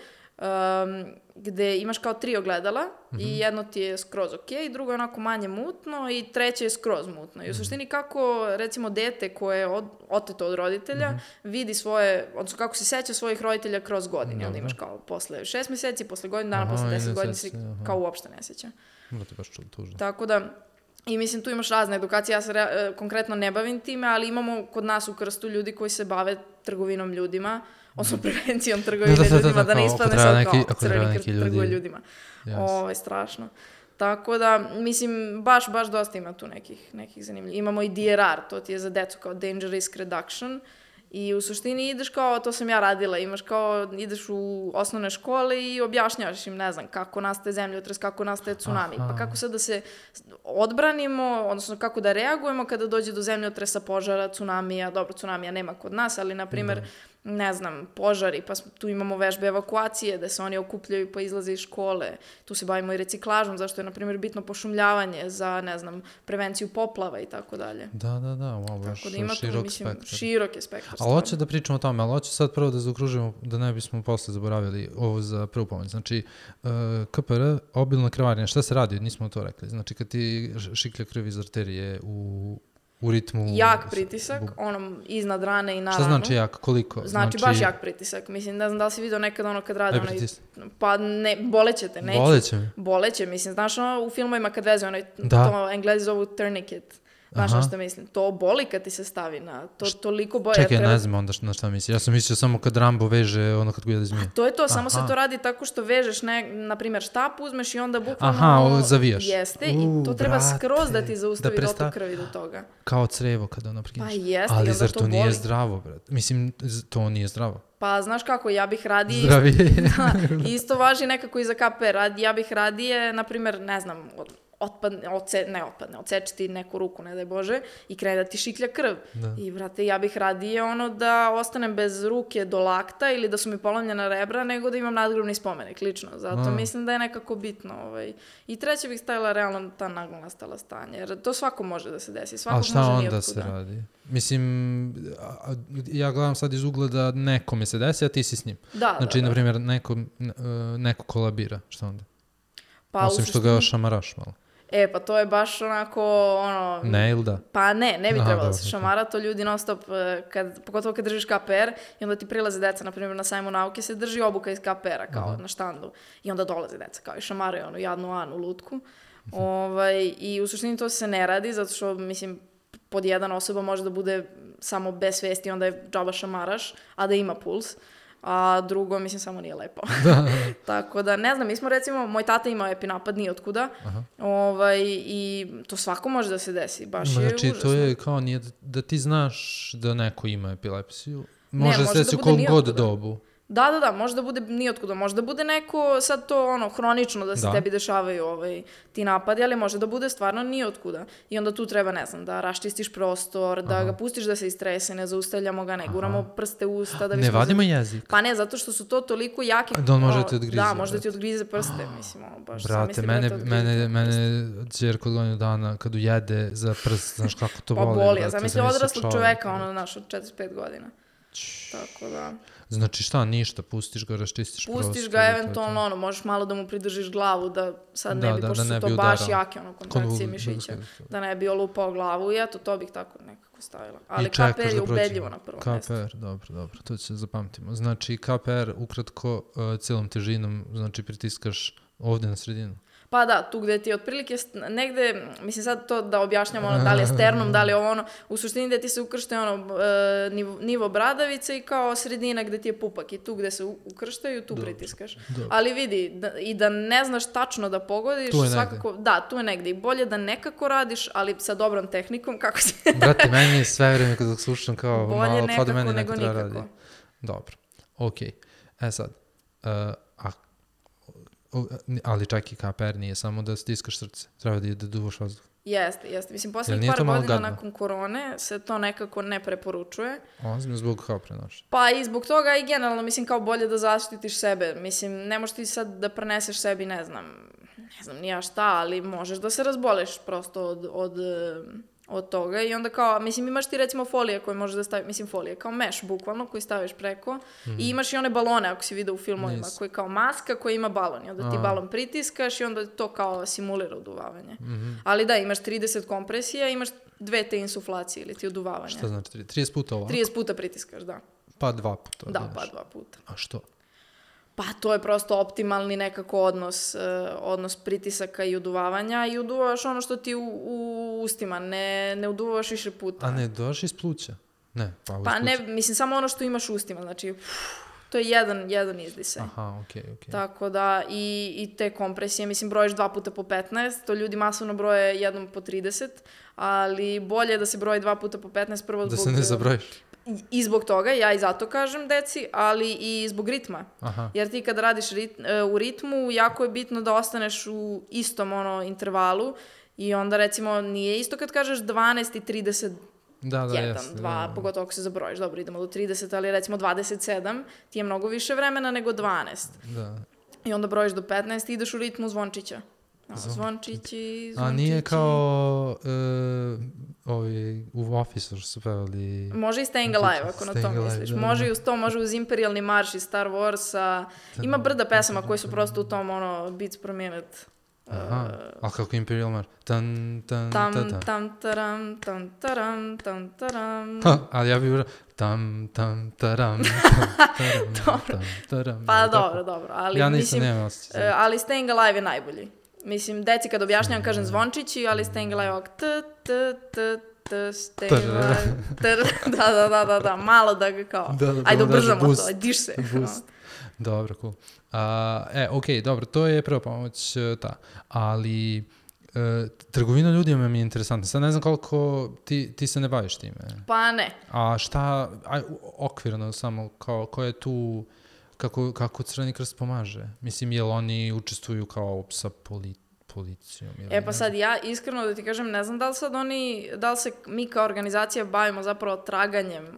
gde imaš kao 3 ogledala i jedno ti je skroz ok, drugo je onako manje mutno i treće je skroz mutno. I u suštini kako, recimo, dete koje je oteto od roditelja vidi svoje, odnosno kako se seća svojih roditelja kroz godine. Onda imaš kao posle 6 meseci, posle godinu dana, posle 10 godina se kao uopšte ne seća. Tako da, i mislim, tu imaš razne edukacije, ja se konkretno ne bavim time, ali imamo kod nas u Krstu ljudi koji se bave trgovinom ljudima, odnosno prevencijom trgovine ljudima, da ne ispadne sad kao Crveni krst trguje ljudima. Ovo je strašno. Tako da, mislim, baš dosta ima tu nekih zanimljivih. Imamo i DRR, to ti je za decu kao Danger Risk Reduction. I u suštini ideš kao, to sam ja radila, ideš u osnovne škole i objašnjavaš im, ne znam, kako nastaje zemljotres, kako nastaje tsunami, pa kako sad da se odbranimo, odnosno kako da reagujemo kada dođe do zemljotresa, požara, tsunamija, dobro, tsunamija nema kod nas, ali, na primjer, ne znam, požari, pa tu imamo vežbe evakuacije, da se oni okupljaju pa izlaze iz škole. Tu se bavimo i reciklažom, zašto je, na primjer, bitno pošumljavanje za, ne znam, prevenciju poplava i tako dalje. Da, ovo je širok je spektar. Ali hoće da pričamo o tome, ali hoće sad prvo da zaokružimo, da ne bismo posle zaboravili ovo za prvu pomoć. Znači, KPR, obilno krvarenje, šta se radi? Nismo to rekli. Znači, kad ti šiklja krv iz arterije u ritmu... Jak pritisak, iznad rane i na ranu. Šta znači jak? Koliko? Znači baš jak pritisak. Mislim, ne znam da li si vidio nekad kad rade pa ne, boleće te, neću. Boleće, mislim, znaš u filmovima kad veze to Englezi zovu tourniquet. Znaš što mislim? To boli kad ti se stavi na... To toliko boje. Čekaj, ne znam onda na šta misli. Ja sam mislio samo kad Rambo veže kad gujede zmije. To je to, samo se to radi tako što vežeš, na primjer, štap uzmeš i onda bukvalno... zavijaš. Jeste, i to treba skroz da ti zaustavi dotok krvi do toga. Kao crevo kada prekineš. Pa jeste, ali zar to nije zdravo, brat? Mislim, to nije zdravo. Pa znaš kako, ja bih radije... Zdravije. Isto važi nekako i za KPR. Ja bih radije, na primjer, ne znam... odsečiti neku ruku, ne daj Bože, i krene da ti šiklja krv. I, brate, ja bih radije da ostanem bez ruke do lakta ili da su mi polomljena rebra, nego da imam nadgrobni spomenik, lično. Zato mislim da je nekako bitno. I treće bih stavila realno ta naglo nastala stanja, jer to svako može da se desi. A šta onda se radi? Mislim, ja gledam sad iz ugla da nekome se desi, a ti si s njim. Znači, na primjer, neko kolabira. Šta onda? Osim što ga šamaraš malo. Pa to je baš onako, Ne, ili da? Pa ne bi trebalo da se šamara, to ljudi non stop, pogotovo kad držiš KPR i onda ti prilaze deca, na primjer na sajmu nauke se drži obuka iz KPR-a kao na štandu i onda dolaze deca kao i šamaraju jadnu Anu lutku. I u suštini to se ne radi, zato što, mislim, pod jedan osoba može da bude samo bez svesti, onda je džaba šamaraš, a da ima puls. A drugo, mislim, samo nije lepo. Tako da, ne znam, mi smo, recimo, moj tata imao epinapad nijotkuda i to svako može da se desi, baš je užasno. Znači, to je kao nije da ti znaš da neko ima epilepsiju, može se desi u koliko god dobu. Da, može da bude nijotkuda, može da bude neko sad to hronično da se tebi dešavaju ti napadi, ali može da bude stvarno nijotkuda. I onda tu treba, ne znam, da raščistiš prostor, da ga pustiš da se istrese, ne zaustavljamo ga, ne guramo prste u usta. Ne vadimo jezik? Pa ne, zato što su to toliko jaki... Da on može ti odgrize. Da, može da ti odgrize prste, mislim, baš. Brate, mene ćer kod godinu dana kad ujede za prst, znaš kako to boli. Pa boli, ja zamisli odraslog čoveka, od 45 godina. Tako da... Znači šta, ništa, pustiš ga, raščistiš prostor. Pustiš ga, eventualno, možeš malo da mu pridržiš glavu, da sad ne bi, pošto su to baš jake kontrakcije mišića, da ne bi olupao glavu i eto, to bih tako nekako stavila. Ali KPR je ubedljivo na prvom mjestu. KPR, dobro, to će zapamtimo. Znači, KPR ukratko cijelom težinom, znači pritiskaš ovdje na sredinu. Pa da, tu gde ti otprilike negde, mislim sad to da objašnjamo da li je sternum, da li je ovo u suštini gde ti se ukrštaju nivo bradavice i kao sredina gde ti je pupak i tu gde se ukrštaju, tu pritiskaš. Ali vidi, i da ne znaš tačno da pogodiš, svakako, da, tu je negde i bolje da nekako radiš, ali sa dobrom tehnikom, kako se... Brate, meni je sve vreme kada slušam kao bolje malo, nekako da meni nego neko treba nikako. Radi. Dobro, okej. Sad, ali čak i KPR nije samo da stiskaš srce, treba da duvaš vazduh. Jeste. Mislim, posljednjih par godina nakon korone se to nekako ne preporučuje. Ozbiljno zbog kao prenoša. Pa i zbog toga i generalno, mislim, kao bolje da zaštitiš sebe. Mislim, ne možeš ti sad da preneseš sebi, ne znam ni ja šta, ali možeš da se razboleš prosto od toga i onda kao, mislim, imaš ti recimo folije koje možeš da staviš, mislim, folije kao meš, bukvalno, koji staviš preko i imaš i one balone, ako si vidio u filmovima, koji kao maska koja ima balon i onda ti balon pritiskaš i onda to kao simulira uduvavanje. Ali da, imaš 30 kompresija, imaš 2 te insuflacije ili ti uduvavanje. Šta znači 30 puta ovako? 30 puta pritiskaš, da. Pa 2 puta. Da, pa 2 puta. A što? Pa to je prosto optimalni nekako odnos pritisaka i uduvavanja i uduvavaš ono što ti u ustima, ne uduvavaš više puta. A ne dođeš iz pluća? Ne, pa ne, mislim samo ono što imaš u ustima, znači to je jedan izdisaj. Aha, okej. Tako da i te kompresije, mislim brojiš 2 puta po 15, to ljudi masovno broje jednom po 30, ali bolje je da se broji 2 puta po 15 prvo zbog... Da se ne zabrojiš. I zbog toga, ja i zato kažem deci, ali i zbog ritma. Aha. Jer ti kad radiš u ritmu, jako je bitno da ostaneš u istom intervalu i onda recimo nije isto kad kažeš 12 i 30 2, pogotovo ako se zabrojiš, dobro, idemo do 30, ali recimo 27, ti je mnogo više vremena nego 12. Da. I onda brojiš do 15 i ideš u ritmu zvončića. Zvončići. A nije kao u Office su pevali... Može i Staying Alive, ako na to misliš. Može i uz to, može uz Imperialni marš iz Star Warsa. Ima brda pesama koji su prosto u tom, beats per minute. Aha, ali kako Imperial marš? Tam, taram, tam, taram, tam, taram. Ali ja bih bilo tam, taram, taram. Pa dobro. Ali, ja nisam nema osjećaj. Ali Staying Alive je najbolji. Mislim, deci kad objašnjam kažem zvončići, ali Staying Alive ovak Staying Alive. Da, malo da ga kao, ajde ubrzamo to, diš se. Dobro, cool. Okej, dobro, to je prva pomoć, ali trgovina ljudima mi je interesantna. Sad ne znam koliko ti se ne baviš time. Pa ne. A šta, okvirno samo, ko je tu, kako Crveni krst pomaže? Mislim, jel oni učestvuju kao sa policijom? Pa sad ja iskreno da ti kažem, ne znam da li se mi kao organizacija bavimo zapravo traganjem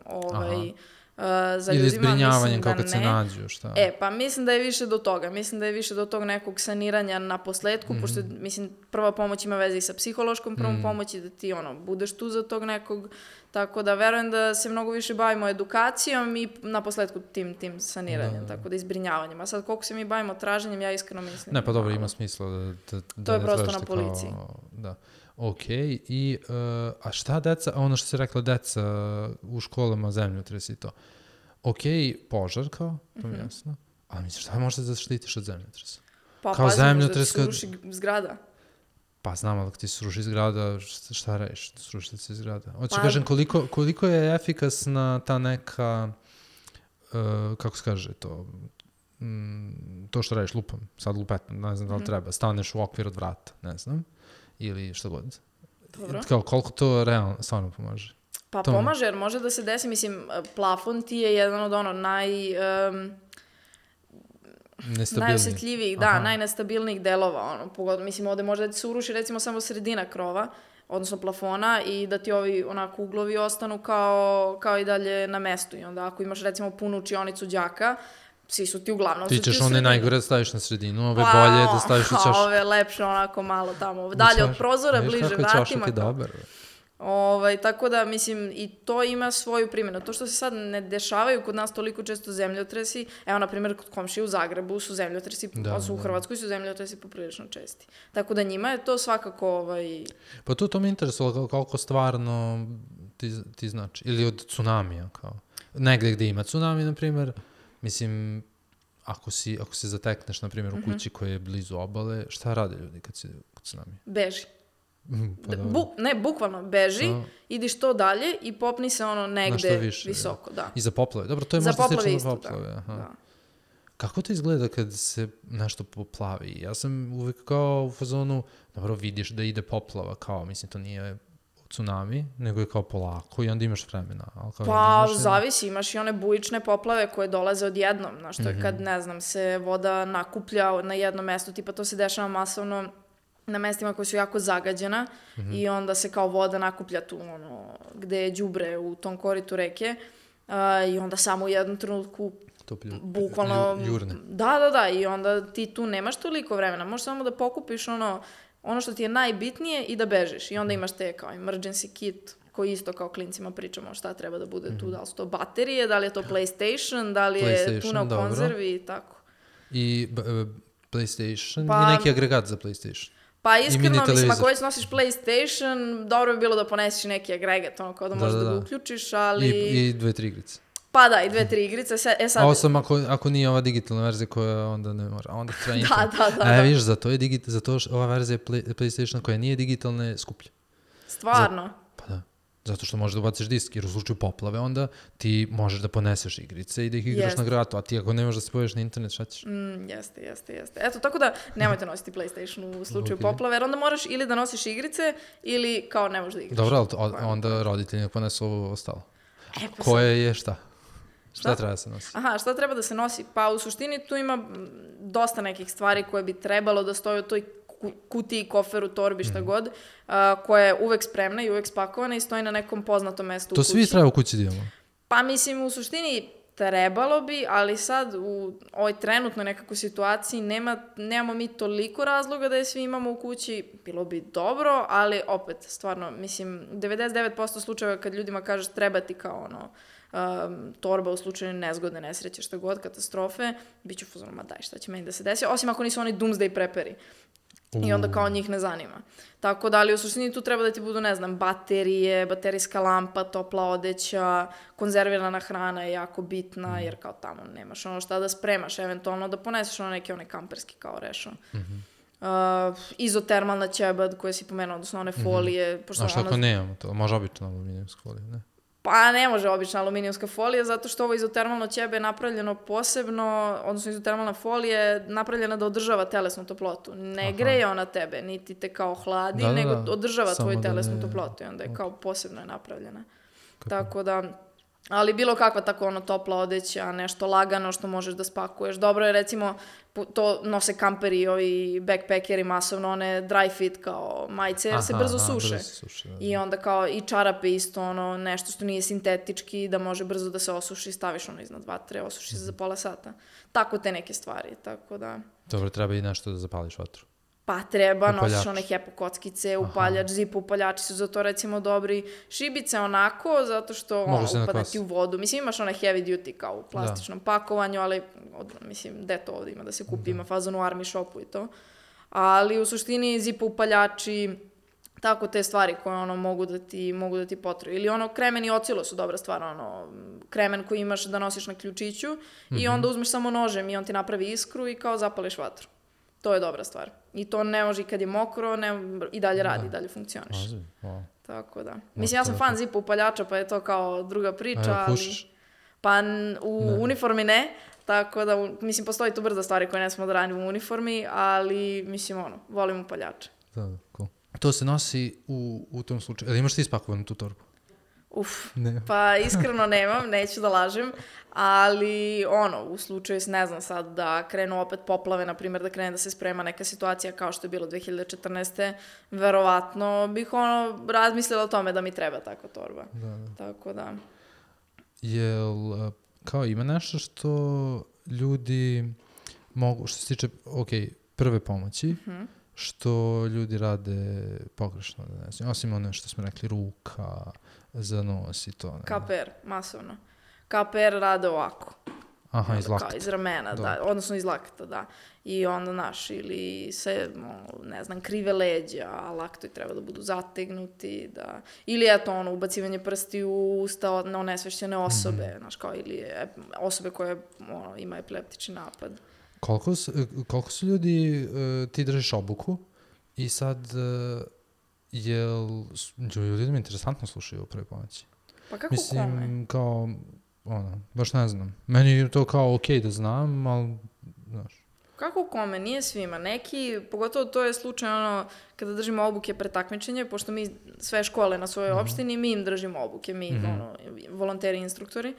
za ili ljudima. Ili zbrinjavanjem kao kad se nađu, šta? Pa mislim da je više do toga. Mislim da je više do tog nekog saniranja na posledku, pošto, mislim, prva pomoć ima veze i sa psihološkom prvom pomoći, da ti, budeš tu za tog nekog, tako da verujem da se mnogo više bavimo edukacijom i na posledku tim saniranjem, tako da i zbrinjavanjem. A sad, koliko se mi bavimo traženjem, ja iskreno mislim... Ne, pa dobro, ima smisla da to je prosto na policiji. Da. Okej, i a šta deca, ono što si rekla, deca u školama, zemljotres i to. Okej, požar kao, to mi jasno, ali misliš, šta možeš da štitiš od zemljotresa? Pa pazim, možda ti se ruši zgrada. Pa znam, ali ti se sruši zgrada, šta radiš, sruši se zgrada? Hoću kažem, koliko je efikasna ta neka, kako se kaže to što radiš lupom, sad lupetom, ne znam da li treba, staneš u okvir od vrata, ne znam. Ili što god. Dobro. Kao, koliko to realno stvarno pomaže? Pa pomaže, jer može da se desi, mislim, plafon ti je jedan od najosjetljivijih, najnestabilnijih delova, pogotovo, mislim, ovde može da ti se uruši recimo samo sredina krova, odnosno plafona i da ti ovi onako uglovi ostanu kao i dalje na mestu i onda ako imaš recimo punu učionicu đaka, svi su ti uglavnom... Ti ćeš one najgore da staviš na sredinu, ove bolje da staviš u čašu. Ove lepše onako malo tamo, dalje od prozora, bliže vratima. Čašak je dobar. Tako da, mislim, i to ima svoju primjenu. To što se sad ne dešavaju kod nas toliko često zemljotresi, evo, na primjer, kod komšije u Zagrebu su zemljotresi, u Hrvatskoj su zemljotresi poprilično česti. Tako da njima je to svakako... Pa to me interesuje, koliko stvarno ti znači. Ili od tsunamija, kao. Negde gde ima tsunami, na primjer, mislim, ako se zatekneš, na primjer, u kući koja je blizu obale, šta rade ljudi kad si kod tsunami? Beži. Pa Bukvalno beži, idi što dalje i popni se negde više, visoko. Da. I za poplave. Dobro, to je možda slično za poplave. Da. Kako to izgleda kad se nešto poplavi? Ja sam uvijek kao u fazonu, dobro, vidiš da ide poplava, kao, mislim, to nije tsunami, nego je kao polako i onda imaš vremena. Pa, zavisi, imaš i one bujične poplave koje dolaze odjednom, znaš, to je kad, ne znam, se voda nakuplja na jednom mestu, tipa to se dešava masovno na mestima koje su jako zagađena i onda se kao voda nakuplja tu, gde je đubre u tom koritu reke i onda samo u jednom trenutku bukvalno jurne. Da, i onda ti tu nemaš toliko vremena, možeš samo da pokupiš ono što ti je najbitnije i da bežiš. I onda imaš te kao emergency kit, koji isto kao klincima pričamo šta treba da bude tu, da li su to baterije, da li je to PlayStation, da li je tuna u konzervi i tako. I PlayStation i neki agregat za PlayStation. Pa iskreno, mislim, ako već nosiš PlayStation, dobro bi bilo da ponesiš neki agregat, kao da možeš da ga uključiš, ali... I 2-3 igrice. Pa da, i 2-3 igrice. Sad... A osam ako nije ova digitalna verzija koja onda ne mora. Onda treba internet. Da. Vidiš, zato ova verzija PlayStation koja nije digitalna je skuplja. Stvarno? Pa da. Zato što možeš da ubaciš disk, jer u slučaju poplave onda ti možeš da poneseš igrice i da ih igraš na gratu, a ti ako ne možeš da se pojaviš na internet, šta ćeš? Jeste. Eto, tako da nemojte nositi PlayStation u slučaju poplave, jer onda moraš ili da nosiš igrice, ili kao ne možeš da igraš. Dobro, ali onda roditelji ne ponesu ovo ostalo. Koje je šta? Šta treba da se nosi? Aha, šta treba da se nosi? Pa u suštini tu ima dosta nekih stvari koje bi trebalo da stoje u toj kutiji, koferu, torbi, šta god, koja je uvek spremna i uvek spakovana i stoji na nekom poznatom mestu u kući. To svi treba u kući da imamo? Pa mislim, u suštini trebalo bi, ali sad u ovoj trenutnoj nekakvoj situaciji nemamo mi toliko razloga da je svi imamo u kući. Bilo bi dobro, ali opet, stvarno, mislim, 99% slučajeva kad ljudima kažeš treba ti kao torba u slučaju nezgodne, nesreće, što god, katastrofe, bit ću fuzonu, ma daj, šta će meni da se desi, osim ako nisu oni doomsday preperi. I onda kao njih ne zanima. Tako da, ali u suštini tu treba da ti budu, ne znam, baterije, baterijska lampa, topla odeća, konzervirana hrana je jako bitna, jer kao tamo nemaš šta da spremaš, eventualno da poneseš neke kamperski kao rešo. Izotermalna ćebad koje si pomenuo, odnosno one folije. A šta ako nemamo to? Može obična aluminijumska folija, ne? Pa ne može obična aluminijumska folija, zato što ovo izotermalno ćebe je napravljeno posebno, odnosno izotermalna folija je napravljena da održava telesnu toplotu. Ne greje ona tebe, niti te kao hladi, nego održava tvoju telesnu toplotu i onda je kao posebno je napravljena. Tako da, ali bilo kakva tako topla odeća, nešto lagano što možeš da spakuješ. Dobro je recimo, to nose kamperi i ovi backpackeri masovno, one dry fit kao majice, jer se brzo suše. I onda kao i čarape isto, nešto što nije sintetički, da može brzo da se osuši, staviš iznad vatre, osuši se za pola sata. Tako te neke stvari, tako da... Dobro, treba i nešto da zapališ vatru. Pa treba, nosiš one hepo kockice, upaljač, zip upaljači su za to recimo dobri. Šibice onako, zato što upada ti u vodu. Mislim, imaš one heavy duty kao u plastičnom pakovanju, ali mislim, gde to ovdje ima da se kupi, ima fazon u army shopu i to. Ali u suštini zip upaljači, tako te stvari koje mogu da ti potrebu. Ili kremen i ocilo su dobra stvar, kremen koji imaš da nosiš na ključiću i onda uzmeš samo nožem i on ti napravi iskru i kao zapališ vatru. To je dobra stvar. I to ne može kad je mokro, i dalje radi, i dalje funkcioniš. Tako da. Mislim, ja sam fan zipa upaljača, pa je to kao druga priča, ali... Pa u uniformi ne, tako da, mislim, postoji tu brza stvari koje ne smo da radimo u uniformi, ali, mislim, volim upaljače. Da, cool. To se nosi u tom slučaju. Ali imaš ti ispakovanu tu torbu? Pa iskreno nemam, neću da lažem, ali u slučaju, ne znam sad, da krenu opet poplave, na primjer da krene da se sprema neka situacija kao što je bilo 2014. Verovatno bih razmislila o tome da mi treba takva torba. Tako da. Jel, kao ima nešto što ljudi mogu, što se tiče, prve pomoći, što ljudi rade pogrešno, ne znam, osim ono što smo rekli, ruka, za nos i to. KPR, masovno. KPR rade ovako. Aha, iz lakta. Kao iz ramena, da, odnosno iz lakta, da. I onda, znaš, ili se, ne znam, krive leđa, a laktoji treba da budu zategnuti, da... Ili, eto, ubacivanje prsti u usta onesvešćene osobe, znaš, kao, ili osobe koje ima epileptični napad. Koliko su ljudi, ti držiš obuku i sad, ljudi mi interesantno slušaju u prvoj pomoći? Pa kako kome? Kao, baš ne znam. Meni je to kao okej da znam, ali, znaš. Kako kome? Nije svima. Neki, pogotovo to je slučaj kada držimo obuke pre takmičenja, pošto mi sve škole na svojoj opštini, mi im držimo obuke, mi volonteri, instruktori.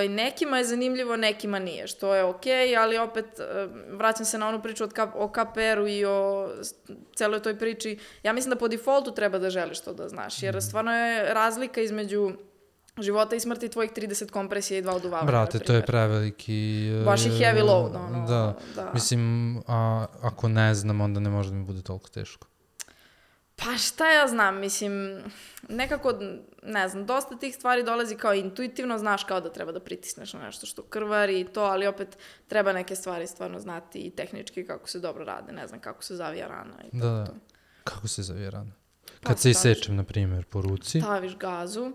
Nekima je zanimljivo, nekima nije, što je okej, ali opet vraćam se na onu priču o KPR-u i o celoj toj priči. Ja mislim da po defaultu treba da želiš to da znaš, jer stvarno je razlika između života i smrti tvojih 30 kompresija i 2 oduvavanja. Brate, to je preveliki... Baš i heavy load, Da, mislim, ako ne znam, onda ne može da mi bude toliko teško. Pa šta ja znam, mislim, nekako, ne znam, dosta tih stvari dolazi kao intuitivno, znaš kao da treba da pritisneš na nešto što krvari i to, ali opet treba neke stvari stvarno znati i tehnički kako se dobro rade, ne znam, kako se zavija rana i to. Kako se zavija rana? Kad se isečem, na primjer, po ruci. Staviš gazu,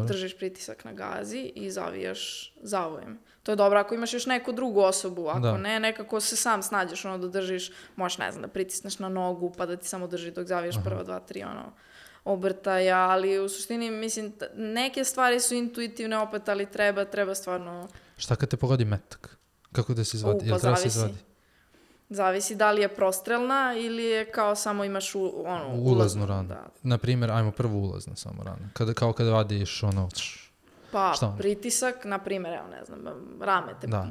držiš pritisak na gazi i zavijaš zavojem. To je dobro ako imaš još neku drugu osobu, ako ne, nekako se sam snađeš da držiš, možeš, ne znam, da pritisneš na nogu pa da ti samo drži dok zavijaš prva 2-3 obrtaja, ali u suštini, mislim, neke stvari su intuitivne opet, ali treba stvarno... Šta kad te pogodi metak? Kako da se izvadi? Jel treba se izvadi? Zavisi da li je prostrelna ili je kao samo imaš ulaznu ranu. Naprimjer, ajmo prvo ulazna samo rana. Kada vadiš Pa, pritisak, na primjer, evo ne znam,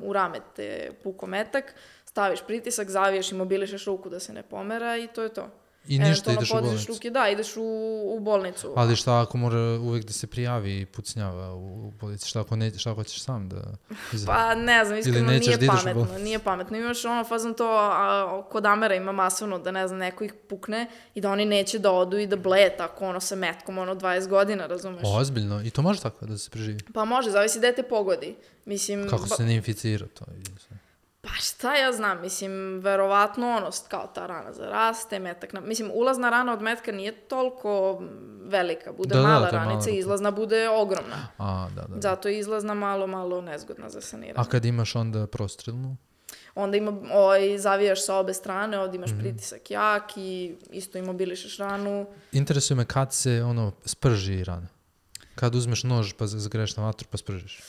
u rame te puko metak, staviš pritisak, zaviješ i mobilišeš ruku da se ne pomera i to je to. I ništa, ideš u bolnicu. Ruke, da, ideš u bolnicu. Ali šta ako mora uvijek da se prijavi i pucnjava u bolnici? Šta ako ćeš sam da izravi? Pa ne znam, iskreno nije pametno. Imaš fazon to, kod Amera ima masovno da ne znam, neko ih pukne i da oni neće da odu i da bleje tako sa metkom 20 godina, razumeš? Ozbiljno? I to može tako da se preživi? Pa može, zavisi da te pogodi. Mislim... Kako se ne inficira to? Pa šta ja znam, mislim, verovatno kao ta rana zaraste, metak, mislim, ulazna rana od metka nije toliko velika, bude mala ranica, izlazna bude ogromna. Zato je izlazna malo nezgodna za saniranje. A kad imaš onda prostrelnu? Onda zavijaš sa obe strane, ovdje imaš pritisak jak i isto imobilišeš ranu. Interesuje me kad se sprži rana. Kad uzmeš nož pa zagreješ na vatru pa spržiš.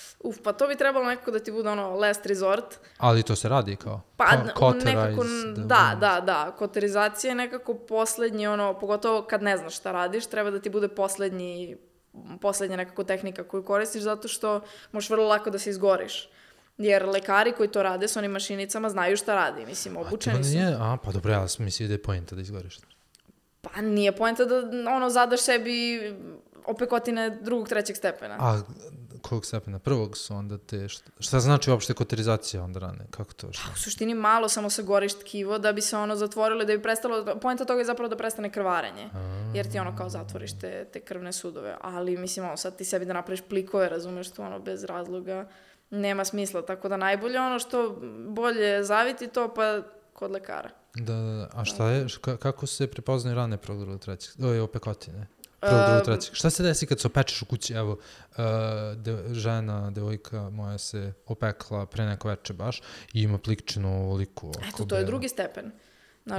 Pa to bi trebalo nekako da ti bude last resort. Ali to se radi kao? Pa nekako, da. Koterizacija je nekako poslednji, pogotovo kad ne znaš šta radiš, treba da ti bude poslednja nekako tehnika koju koristiš, zato što možeš vrlo lako da se izgoriš. Jer lekari koji to rade s onim mašinicama znaju šta radi, mislim, obučeni su. Pa dobro, ja mislim da je poenta da izgoriš. Pa nije poenta da zadaš sebi opekotine drugog, trećeg stepena. A kojeg stepena? Prvog su onda te... Šta znači uopšte koterizacija onda rane? Kako to? Pa u suštini malo samo se goriš tkivo da bi se zatvorilo i da bi prestalo... Poenta toga je zapravo da prestane krvarenje. Jer ti kao zatvoriš te krvne sudove. Ali mislim, sad ti sebi da napraviš plikove, razumeš tu bez razloga. Nema smisla. Tako da najbolje što bolje zaviti to pa kod lekara. Da. A šta je? Kako se prepoznaju rane prvog, drugog, trećeg? Opekotine. Prvog, drugog, trećeg. Šta se desi kad se opečeš u kući? Evo, devojka moja se opekla pre neko veče baš i ima plikčinu ovoliku. Eto, to je drugi stepen.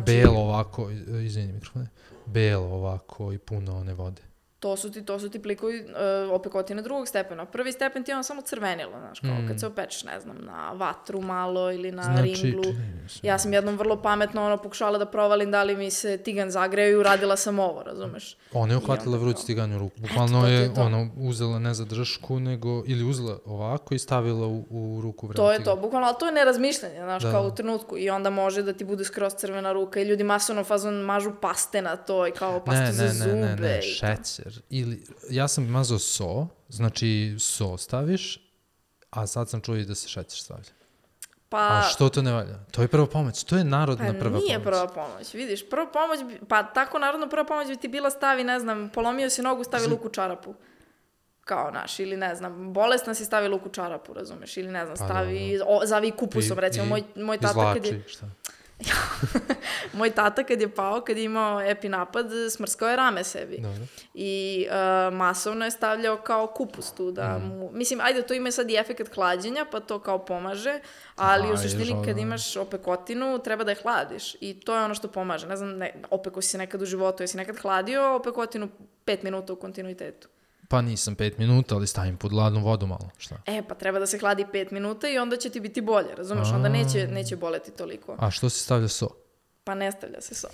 Belo ovako, izvini mikrofone, belo ovako i puno one vode. To su ti plikovi opekotine drugog stepena. Prvi stepen ti je samo crvenilo, znaš, kao kad se opečeš, ne znam, na vatru malo ili na ringlu. Ja sam jednom vrlo pametno pokušala da provalim da li mi se tigan zagreju i uradila sam ovo, razumeš? Ona je uhvatila vruć tiganj u ruku. Bukvalno je uzela ne za dršku, nego ili uzela ovako i stavila u ruku vreme tiganj. To je to, bukvalno, ali to je nerazmišljanje, znaš, kao u trenutku. I onda može da ti bude skroz crvena ruka i ljudi masovno fazon mažu paste na to i kao pastu za zube. Ne, šećer. Ili, ja sam mazao znači staviš, a sad sam čuo i da se šećer stavlja. A što to ne valja? To je prva pomoć, to je narodna prva pomoć. Nije prva pomoć, vidiš, prva pomoć, tako narodna prva pomoć bi ti bila stavi, ne znam, polomio si nogu, stavi luk u čarapu. kao naš, ili ne znam, bolesna si stavi luk u čarapu, razumeš, ili ne znam, zavi kupusom, recimo, moj tata kad je... Šta? Moj tata kad je pao, kad je imao epinapad, smrskao je rame sebi. Dobro. I masovno je stavljao kao kupus tu da mu... Mislim, ajde, to ima sad i efekt hlađenja, pa to kao pomaže, ali u suštini kad imaš opekotinu, treba da je hladiš. I to je ono što pomaže. Ne znam, opeko si se nekad u životu, jesi nekad hladio opekotinu 5 minuta u kontinuitetu? Pa nisam 5 minuta, ali stavim pod hladnu vodu malo, šta? Pa treba da se hladi 5 minuta i onda će ti biti bolje, razumeš? Onda neće boleti toliko. A što se stavlja so? Pa ne stavlja se so.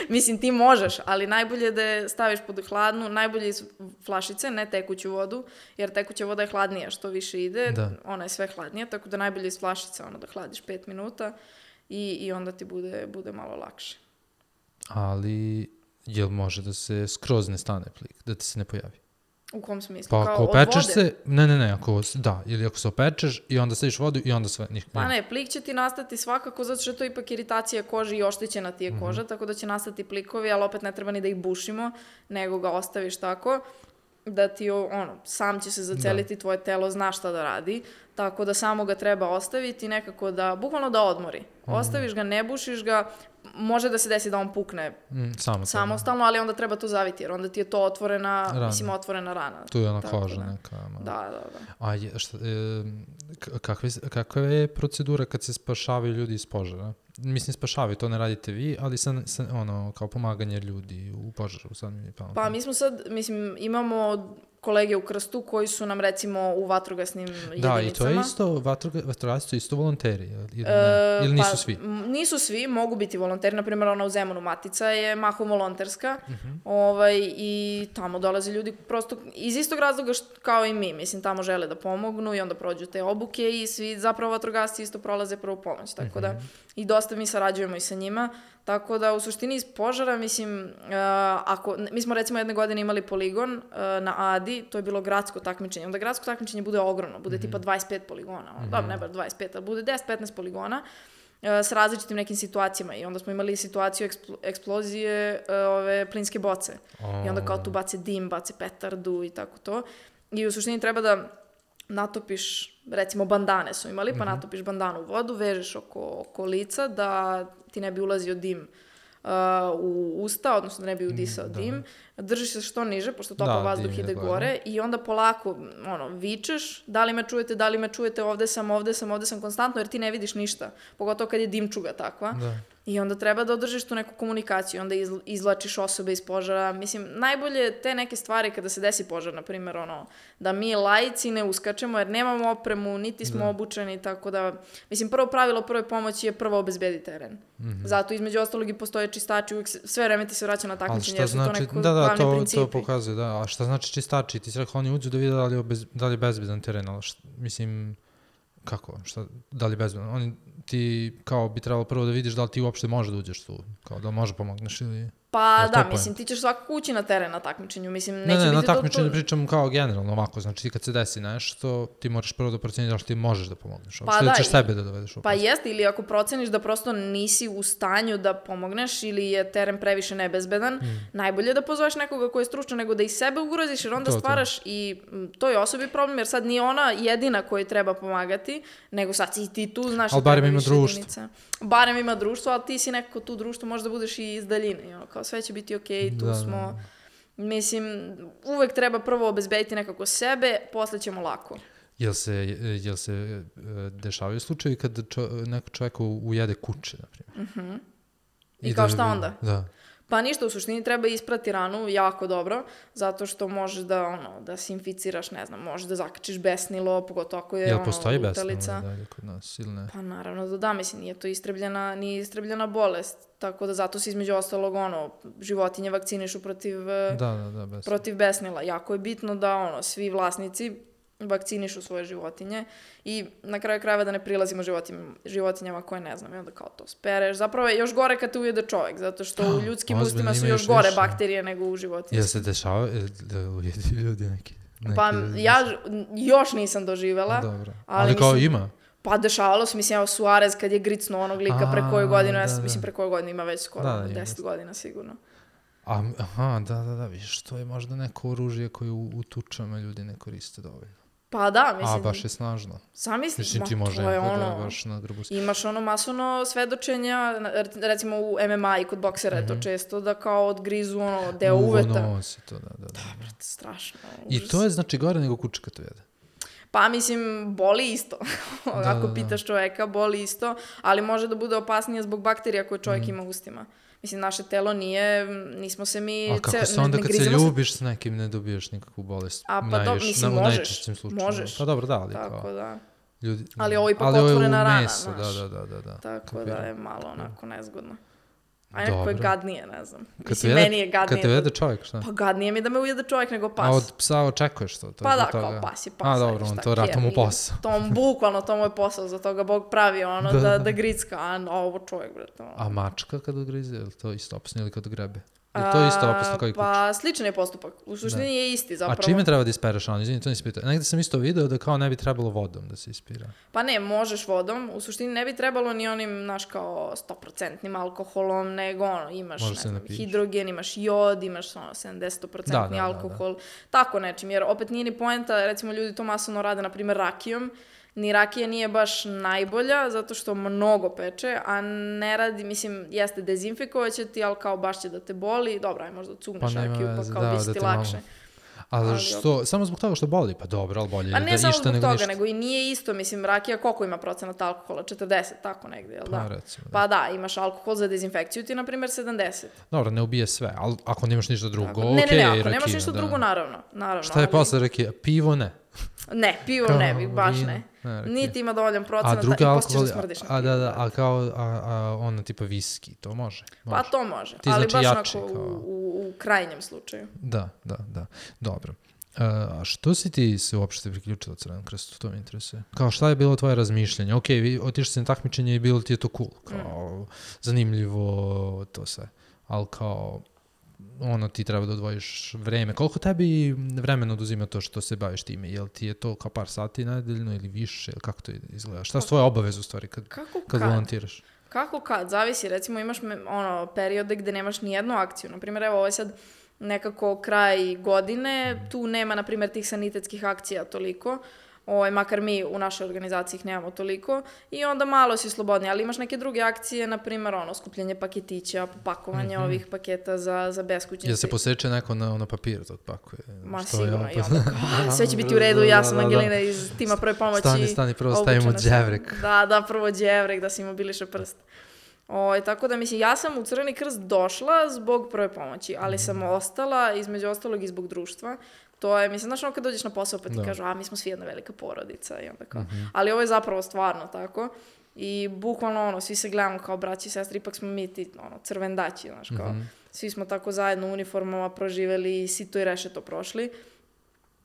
Mislim, ti možeš, ali najbolje da je staviš pod hladnu, najbolje iz flašice, ne tekuću vodu, jer tekuća voda je hladnija, što više ide, ona je sve hladnija, tako da najbolje iz flašice da hladiš 5 minuta i onda ti bude malo lakše. Ali, jel može da se skroz ne stane plik, da ti se ne pojavi? U kom smislu? Pa kao ako od opečeš vode? se, ili ako se opečeš i onda staviš vodu i onda sve. Pa ne, plik će ti nastati svakako, zato što je to ipak iritacija kože i oštećena ti je koža, tako da će nastati plikovi, ali opet ne treba ni da ih bušimo, nego ga ostaviš tako, da ti, sam će se zaceliti, tvoje telo zna šta da radi, tako da samo ga treba ostaviti nekako bukvalno da odmori. Ostaviš ga, ne bušiš ga, može da se desi da on pukne samostalno, ali onda treba to zaviti, jer onda ti je to otvorena rana. Tu je ona koža neka. Da. A kakva je procedura kad se spašavaju ljudi iz požara? Mislim, spašavaju, to ne radite vi, ali kao pomaganje ljudi u požaru. Pa mi smo sad, imamo kolege u Krstu koji su nam recimo u vatrogasnim jedinicama. Da, i to je isto, vatrogasci su isto volonteri, ili nisu svi? Nisu svi, mogu biti volonteri, na primjer ona u Zemunu Matica je mahom volonterska i tamo dolaze ljudi prosto iz istog razloga kao i mi, tamo žele da pomognu i onda prođu te obuke i svi zapravo vatrogasci isto prolaze prvu pomoć, tako da i dosta mi sarađujemo i sa njima, tako da u suštini iz požara, mi smo recimo jedne godine imali poligon na Adi, to je bilo gradsko takmičenje, onda gradsko takmičenje bude ogromno, bude tipa 25 poligona, dobro, ne bar 25, ali bude 10-15 poligona s različitim nekim situacijama i onda smo imali situaciju eksplozije plinske boce i onda kao tu bace dim, bace petardu i tako to i u suštini treba da natopiš, recimo bandane su imali, pa natopiš bandanu u vodu, vežeš oko lica da ti ne bi ulazio dim u usta, odnosno da ne bi udisao dim. Držiš se što niže, pošto topao vazduh ide gore i onda polako vičeš, da li me čujete, ovde sam konstantno, jer ti ne vidiš ništa, pogotovo kad je dimčuga takva. I onda treba da održiš tu neku komunikaciju, onda izvlačiš osobe iz požara. Najbolje te neke stvari kada se desi požar, na primjer, da mi laici ne uskačemo jer nemamo opremu, niti smo obučeni, tako da, prvo pravilo prve pomoći je prvo obezbedi teren. Zato između ostalog i postoje čistači, uvijek sve vreme ti se vraća na takmičenje, jer su to neko glavni principi. To pokazuje, da. A šta znači čistači? Ti si rekao, oni uđu da vide da li je bezbedan teren, ali kako? Da li je bezbedan? Ti kao bi trebalo prvo da vidiš da li ti uopšte može da uđeš tu, kao da može pomogneš ili... Pa da, ti ćeš svakako ući na teren na takmičenju, neće biti... Ne, na takmičenju pričam kao generalno ovako, znači ti kad se desi nešto, ti moraš prvo da proceniš da što ti možeš da pomogneš, uopšte da ćeš sebe da dovedeš u opasnost. Pa jeste, ili ako proceniš da prosto nisi u stanju da pomogneš ili je teren previše nebezbedan, najbolje da pozoveš nekoga ko je stručan nego da i sebe ugroziš, jer onda stvaraš i toj osobi problem, jer sad nije ona jedina koju treba pomagati, nego sad si ti tu, znaš... Ali barem ima društvo. Barem ima društvo, ali ti si nekako tu društvo, možda budeš i iz daljine, kao sve će biti okej, tu smo. Uvek treba prvo obezbediti nekako sebe, posle ćemo lako. Jel se dešavaju slučajevi kad neko čovjek ujede kuće, na primjer? I kao šta onda? Da. Pa ništa, u suštini treba isprati ranu jako dobro, zato što možeš da se inficiraš, ne znam, možeš da zakačiš besnilo, pogotovo ako je lutalica. Jel postoji besnilo dalje kod nas ili ne? Pa naravno da, nije to istrebljena bolest, tako da zato se između ostalog životinje vakcinišu protiv besnila. Jako je bitno da svi vlasnici vakcinišu svoje životinje i na kraju krajeva da ne prilazimo životinjama koje ne znam i onda kao to spereš. Zapravo je još gore kad te ujede čovjek, zato što u ljudskim ustima su još gore bakterije nego u životinjskim. Jel se dešava da ujedi ljudi neki? Pa ja još nisam doživjela. Dobro. Ali kao ima? Pa dešavalo se, Suarez kad je gricnuo onog lika pre koju godinu, pre koju godinu ima već skoro 10 godina sigurno. Aha, da, vidiš, to je možda neko oružje koje u tučama ljudi ne koriste dovoljno. Pa da, mislim... A, baš je snažno. Zamisli, mislim, ti može to je baš na grubu... Imaš masovno svedočenja, recimo u MMA i kod boksera je to često, da kao odgrizu deo uveta. Nosi to, da. Dobro, strašno. I to je znači gore nego kuče kad to jede? Pa mislim, boli isto. Ako pitaš čoveka, boli isto, ali može da bude opasnije zbog bakterija koje čovjek ima u ustima. Mislim, naše telo nismo se mi... A kako se onda kad se ljubiš s nekim ne dobiješ nikakvu bolest? A pa dobro, mislim, možeš. Pa dobro, da, ali tako kao... da. Ljudi, ali ovo ipak otvorena rana, meso, znaš. Da. Tako da je malo onako nezgodno. A nekako je gadnije, ne znam. Meni je gadnije. Kad te ujede čovjek, šta? Pa gadnije mi da me ujede čovjek nego pas. A od psa očekuješ to? Pa da, kao pas je pas. A dobro, on to rata mu posao. Bukvalno to mu je posao, za toga Bog pravi da gricka, a ovo čovjek, bre. A mačka kad odgrize, je li to isto opasno ili kad grebe? Je to isto opasno kao i kuća? Pa sličan je postupak. U suštini je isti zapravo. A čime treba da ispereš? Izvini, to nisi pitao. Negde sam isto video da kao ne bi trebalo vodom da se ispira. Pa ne, možeš vodom. U suštini ne bi trebalo ni onim, naš kao 100% alkoholom, nego imaš hidrogen, imaš jod, imaš 70% alkohol. Tako nečim, jer opet nije ni poenta, recimo ljudi to masovno rade, na primjer rakijom. Ni rakija nije baš najbolja, zato što mnogo peče, a ne radi, mislim, jeste dezinfikovaće ti, ali kao baš će da te boli. Dobro, aj možda cugneš rakiju, pa kao bi ti lakše. Ali što, samo zbog toga što boli? Pa dobro, ali bolje pa ne samo zbog toga, nego i nije isto, mislim, rakija koliko ima procenat alkohola? 40, tako negdje, jel da? Recimo, pa da, imaš alkohol za dezinfekciju ti, na primjer, 70. Dobro, ne ubije sve, ali ako nemaš ništa drugo, ne, ako nemaš ništa drugo, naravno. Šta je posle rakija? Pivo ne? Ne, pivo ne bi, baš ne. Niti ima dovoljan procenat i poslije da smrdiš na pivo. A kao ono tipa viski, to može? Pa to može, ali baš onako u krajnjem slučaju. Da, dobro. A što si ti se uopšte priključila Crvenom krstu? To me interesuje. Kao šta je bilo tvoje razmišljanje? Ok, vi otišli se na takmičenje i bilo ti je to cool, kao zanimljivo, to sve. Ali kao... ti treba da odvojiš vreme. Koliko tebi vremena oduzima to što se baviš time? Jel ti je to kao par sati nedeljno ili više? Ili kako to izgleda? Šta su tvoje obaveze u stvari kad volontiraš? Kako kad? Zavisi. Recimo imaš periode gde nemaš ni jednu akciju. Naprimjer, evo ovo je sad nekako kraj godine. Tu nema, na primjer, tih sanitetskih akcija toliko. Makar mi u našoj organizaciji ih nemamo toliko i onda malo si slobodni, ali imaš neke druge akcije, na primjer skupljenje paketića, pakovanje ovih paketa za beskućnice. Jel se poseče neko na papir tog pakuje? Ma sigurno, i onda kao, sve će biti u redu, ja sam Angelina iz tima prve pomoći. Stani, prvo stavimo đevrek. Da, prvo đevrek, da se imobiliše prst. Tako da, mislim, ja sam u Crveni krst došla zbog prve pomoći, ali sam ostala, između ostalog, i zbog društva. To je, mislim, znaš kad dođeš na posao pa ti kažu, mi smo svi jedna velika porodica i onda kao, ali ovo je zapravo stvarno tako i bukvalno svi se gledamo kao braći i sestri, ipak smo mi ti crvendaći, znaš kao, svi smo tako zajedno u uniformama proživeli i sito i rešeto prošli.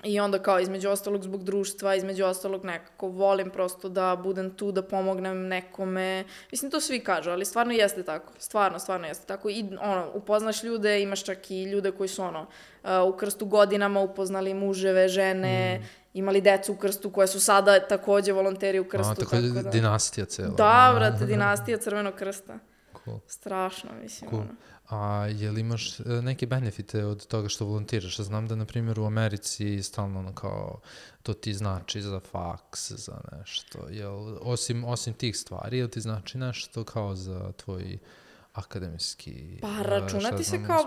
I onda kao između ostalog zbog društva, između ostalog nekako volim prosto da budem tu, da pomognem nekome. Mislim, to svi kažu, ali stvarno jeste tako. Stvarno jeste tako. I upoznaš ljude, imaš čak i ljude koji su u krstu godinama upoznali muževe, žene, imali decu u krstu koje su sada takođe volonteri u krstu. Tako je dinastija cela. Da, brate, dinastija Crvenog krsta. Cool. Strašno, mislim. Cool. A je li imaš neke benefite od toga što volontiraš? Znam da, na primjer, u Americi stalno kao to ti znači za faks, za nešto. Jel, osim tih stvari, jel ti znači nešto kao za tvoj akademski... Pa računati se kao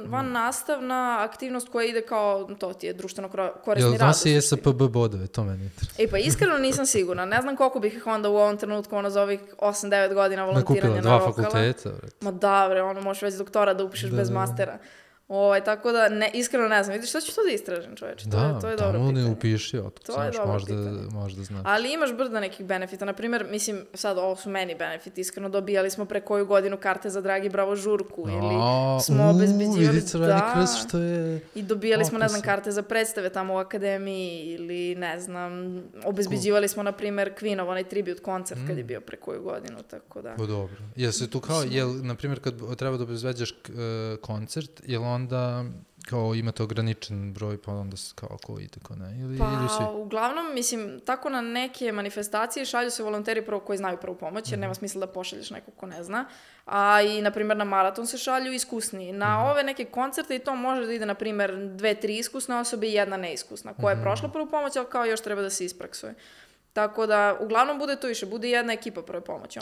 van nastavna aktivnost koja ide kao, to ti je društveno korisni rad. Jel si SPB bodove, to meni interesuje. Pa iskreno nisam sigurna. Ne znam koliko bih ih onda u ovom trenutku za ovih 8-9 godina volontiranja na Rokala. Nakupila 2 fakulteta, vred. Ma da, možeš već doktora da upišeš bez mastera. Tako da, iskreno ne znam. Vidiš, šta ću to da istražim, čoveče? To je dobro pitanje. Ne upiši, to je dobro pitanje. Možda znaš. Ali imaš brda nekih benefita. Naprimjer, mislim, sad ovo su meni benefiti, iskreno dobijali smo pre koju godinu karte za Dragi Bravo žurku ili smo obezbeđivali... što je... I dobijali smo, ne znam, karte za predstave tamo u akademiji ili, ne znam, obezbeđivali smo, na primjer, Queenov, onaj tribute koncert kad je bio pre koju godinu, tako da... Dobro. Jel se tu kao, na primjer, kad treba da obezbeđaš koncert, jel onda kao imate ograničen broj, pa onda kao ko ide, ko ne, ili svi? Uglavnom, mislim, tako na neke manifestacije šalju se volonteri prvo koji znaju prvu pomoć, jer nema smisla da pošalješ nekog ko ne zna, a i, na primjer, na maraton se šalju iskusni. Na ove neke koncerte i to može da ide, na primjer, 2-3 iskusne osobe i jedna neiskusna, koja je prošla prvu pomoć, ali kao još treba da se ispraksuje. Tako da, uglavnom bude to više, bude jedna ekipa prve pomoći,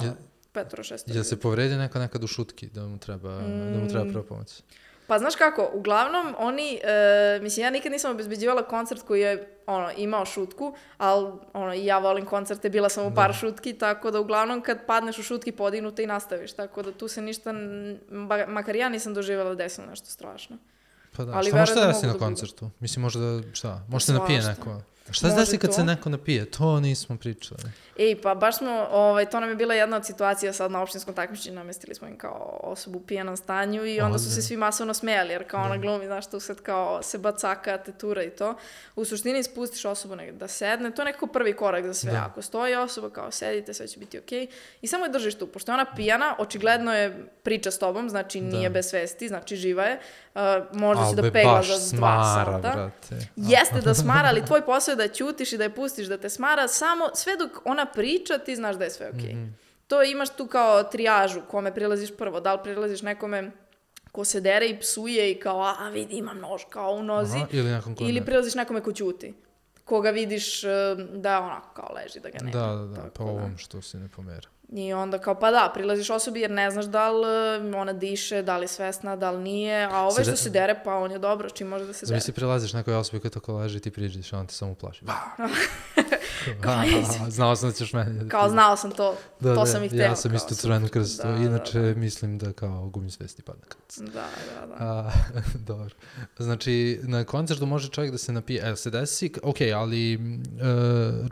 5-6. Jel se povredi nekad u šutki da mu treba prva pomoć? Pa znaš kako, uglavnom oni, mislim ja nikad nisam obezbeđivala koncert koji je imao šutku, ali i ja volim koncerte, bila sam u par šutki, tako da uglavnom kad padneš u šutki podignuto i nastaviš, tako da tu se ništa, makar ja nisam doživjela desilo nešto strašno. Pa da, šta možete desi na koncertu? Mislim možda, šta? Možda se napije neko? Šta se desi kad se neko napije? To nismo pričali. Pa baš smo, to nam je bila jedna od situacija sad na opštinskom takmičenju, namestili smo im kao osobu u pijanom stanju i onda su se svi masovno smejali, jer kao ona glumi, znaš, tu sad kao se bacaka, tetura i to. U suštini spustiš osobu da sedne, to je nekako prvi korak za sve. Ako stoji osoba, kao sedite, sve će biti okej. I samo je držiš tu, pošto je ona pijana, očigledno je priča s tobom, znači nije bez svesti, znači živa je, možda će da pegla za 2 sata. Jeste da smara, ali tvoj posao je da ćutiš i da je pustiš da te smara, samo sve dok ona priča, ti znaš da je sve okej. To imaš tu kao trijažu, kome prilaziš prvo, da li prilaziš nekome ko se dere i psuje i kao, vidi imam nož kao u nozi, ili prilaziš nekome ko ćuti, koga vidiš da onako kao leži, da ga nema. Da, pa ovom što se ne pomera. I onda kao, pa da, prilaziš osobi jer ne znaš da li ona diše, da li je svesna, da li nije, a ovaj što se dere, pa on je dobro, čim može da se dere. Zamisli prilaziš nekoj osobi koja tako leži, ti priđeš, a on te samo plaši. Znao sam da ćeš meni. Kao znao sam to, to sam ih hteo. Ja sam isto Crvenu krstu, inače mislim da kao gubim svesti padne krst. Da. Dobro. Znači, na koncertu može čovjek da se napije, se desi, okej, ali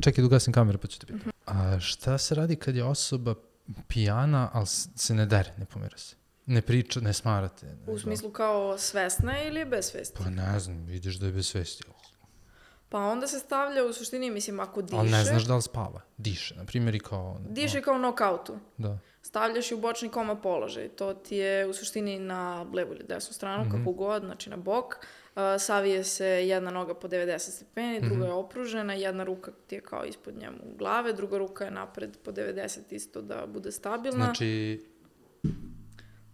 čekaj da ugasim kameru pa ću te pitati. A šta se radi kad je osoba pijana, ali se ne dere, ne pomera se? Ne priča, ne smarate? U smislu kao svesna ili bez svesti? Pa ne znam, vidiš da je bez svesti. Pa onda se stavlja u suštini, mislim, ako diše... Ali ne znaš da li spava, diše, na primjer i kao... Diše kao knockoutu. Da. Stavljaš i u bočni koma položaj. To ti je u suštini na levu ili desnu stranu, kako god, znači na bok. Savije se jedna noga po 90 stepeni, druga je opružena, jedna ruka ti je kao ispod njemu glave, druga ruka je napred po 90 isto da bude stabilna. Znači...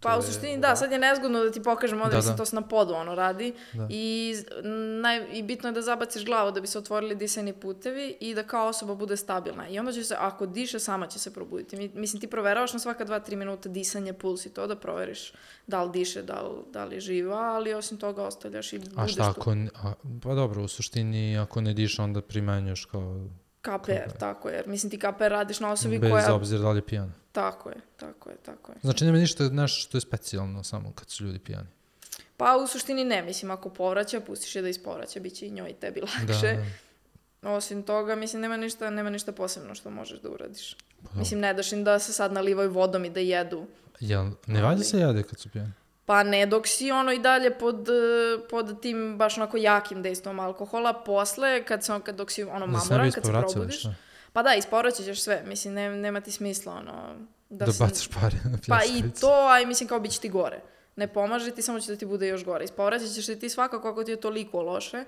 Pa u suštini da, sad je nezgodno da ti pokažem ovdje, mislim to se na podu radi i bitno je da zabaciš glavu da bi se otvorili disajni putevi i da kao osoba bude stabilna. I onda će se, ako diše, sama će se probuditi. Mislim, ti proveravaš na svaka 2-3 minuta disanje, puls i to da proveriš da li diše, da li je živa, ali osim toga ostavljaš i budeš tu. A šta ako, pa dobro, u suštini ako ne diše onda primenjuš kao... KPR, tako je. Mislim, ti KPR radiš na osobi koja... Bez obzira da li je pijana. Tako je. Znači nema ništa nešto što je specijalno samo kad su ljudi pijani? Pa u suštini ne, mislim, ako povraća, pustiš je da ispovraća, bit će i njoj i tebi lakše. Osim toga, mislim, nema ništa posebno što možeš da uradiš. Mislim, ne daš im da se sad nalivaju vodom i da jedu. Jel, ne valja se jede kad su pijani? Pa ne, dok si i dalje pod tim baš onako jakim dejstvom alkohola, posle, dok si mamuran, kad se probudiš. Pa da, ispovraćat ćeš sve, mislim, nema ti smisla, da bacaš pare na pljačkalicu. Pa i to, a mislim, kao bit će ti gore. Ne pomaže ti, samo će da ti bude još gore. Ispovraćat ćeš se ti svakako ako ti je toliko loše,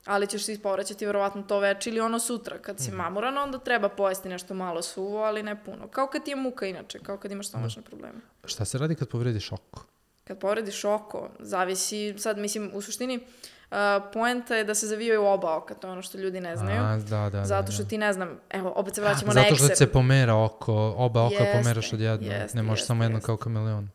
ali ćeš se ispovraćati verovatno to večer ili sutra. Kad si mamuran, onda treba pojesti nešto malo suvo, ali ne puno. Kao kad ti je muka inače, kao kad imaš stomačne probleme. Šta se radi kad povrediš oko? Kad povrediš oko, zavisi, sad mislim, u suštini, poenta je da se zavijaju oba oka, to je ono što ljudi ne znaju. Zato što ti ne znam, evo, opet se vraćamo na ekser. Zato što se pomera oko, oba oka pomeraš od jedno, ne možeš samo jedno kao kameleon.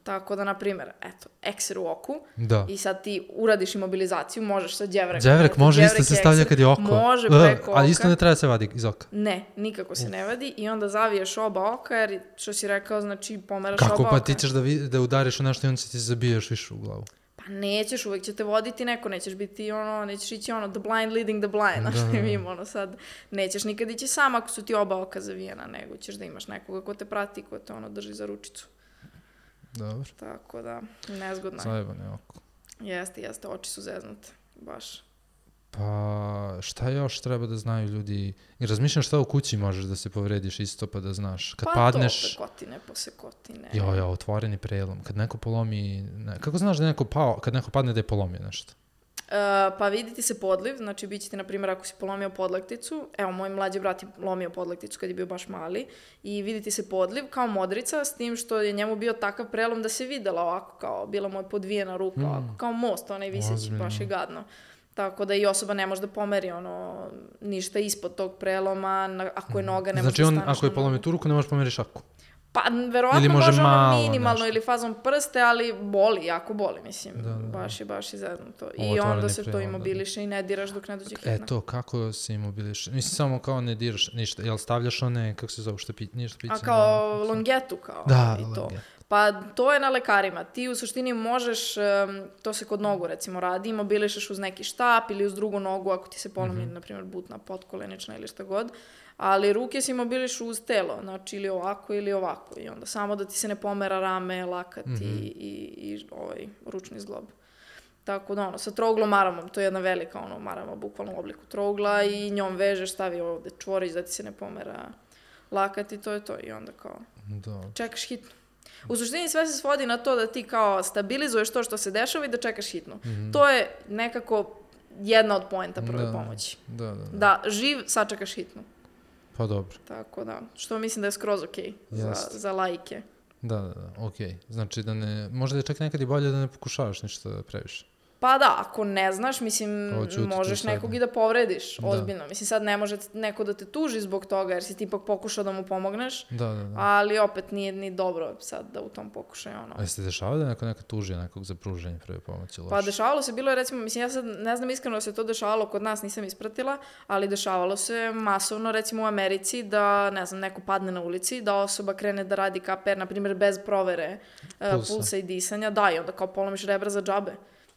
Tako da, na primjer, eto, ekser u oku i sad ti uradiš imobilizaciju, možeš sa đevrek. Đevrek može isto se stavlja kad je oko. Može preko oka. Ali isto ne treba se vadi iz oka. Ne, nikako se ne vadi i onda zaviješ oba oka jer, što si rekao, znači pomeraš oba oka. Kako pa ti ćeš da udariš u nešto i onda se ti zabiješ više u glavu? Pa nećeš, uvek će te voditi neko, nećeš biti nećeš ići the blind leading the blind, znaš što im sad, nećeš nikad ići sam ako su ti oba oka zavijena, nego ćeš da imaš nekoga ko te prati, ko te drži za ručicu. Dobro. Tako da, nezgodno je. Zajebano je oko. Jeste, oči su zeznute, baš. Pa šta još treba da znaju ljudi? I razmišljam šta u kući možeš da se povrediš isto pa da znaš. Kad padneš... Pa to, pekotine, posekotine. Jo, otvoreni prelom. Kad neko polomi... Kako znaš da je neko pao, kad neko padne da je polomio nešto? Pa vidi ti se podliv, znači bit će ti, na primjer, ako si polomio podlakticu, evo, moj mlađi brat je lomio podlakticu kad je bio baš mali, i vidi ti se podliv kao modrica, s tim što je njemu bio takav prelom da se videla ovako, kao bila mu je podvijena ruka, ovako, kao most, onaj viseći, baš je gadno. Tako da i osoba ne može da pomeri ništa ispod tog preloma, ako je noga, ne može da staneš. Znači ako je polomio tu ruku, ne možeš pomeri šaku? Pa, verovatno može minimalno ili fazom prste, ali boli, jako boli, mislim. Baš je zeznuto. I onda se to imobiliše i ne diraš dok ne dođe hitna. Eto, kako se imobiliše? Mislim, samo kao ne diraš ništa. Jel stavljaš one, kako se zove, ništa piće? A kao longetu, kao. Da, i to. Pa to je na lekarima. Ti u suštini možeš, to se kod nogu recimo radi, imobilišeš uz neki štap ili uz drugu nogu ako ti se polomi, na primjer, butna, potkolenična ili šta god. Ali ruke si imobiliš uz telo, znači ili ovako ili ovako. I onda samo da ti se ne pomera rame, lakat i ručni zglob. Tako da sa trouglom maramom, to je jedna velika marama, bukvalno u obliku trougla, i njom vežeš, stavi ovde čvorić da ti se ne pomera lakat i to je to. I onda kao čekaš hitnu. U suštini sve se svodi na to da ti kao stabilizuješ to što se dešava i da čekaš hitnu. To je nekako jedna od poenta prve pomoći. Da, živ, sačekaš hitnu. Pa dobro. Tako da, što mislim da je skroz okej za laike. Da, okej. Znači da ne, možda je čak nekad i bolje da ne pokušavaš ništa previše. Pa da, ako ne znaš, mislim, možeš nekog i da povrediš, ozbiljno. Mislim, sad ne može neko da te tuži zbog toga, jer si ti ipak pokušao da mu pomogneš, ali opet nije ni dobro sad da u tom pokušaju A jeste dešavao da neko nekad tuži nekog za pruženje prve pomoći? Pa dešavalo se, bilo je recimo, mislim, ja sad ne znam iskreno da se to dešavalo kod nas, nisam ispratila, ali dešavalo se masovno, recimo u Americi, da, ne znam, neko padne na ulici, da osoba krene da radi KPR, na primjer, bez provere pulsa i disanja, da, i onda kao polomiš rebra za džabe.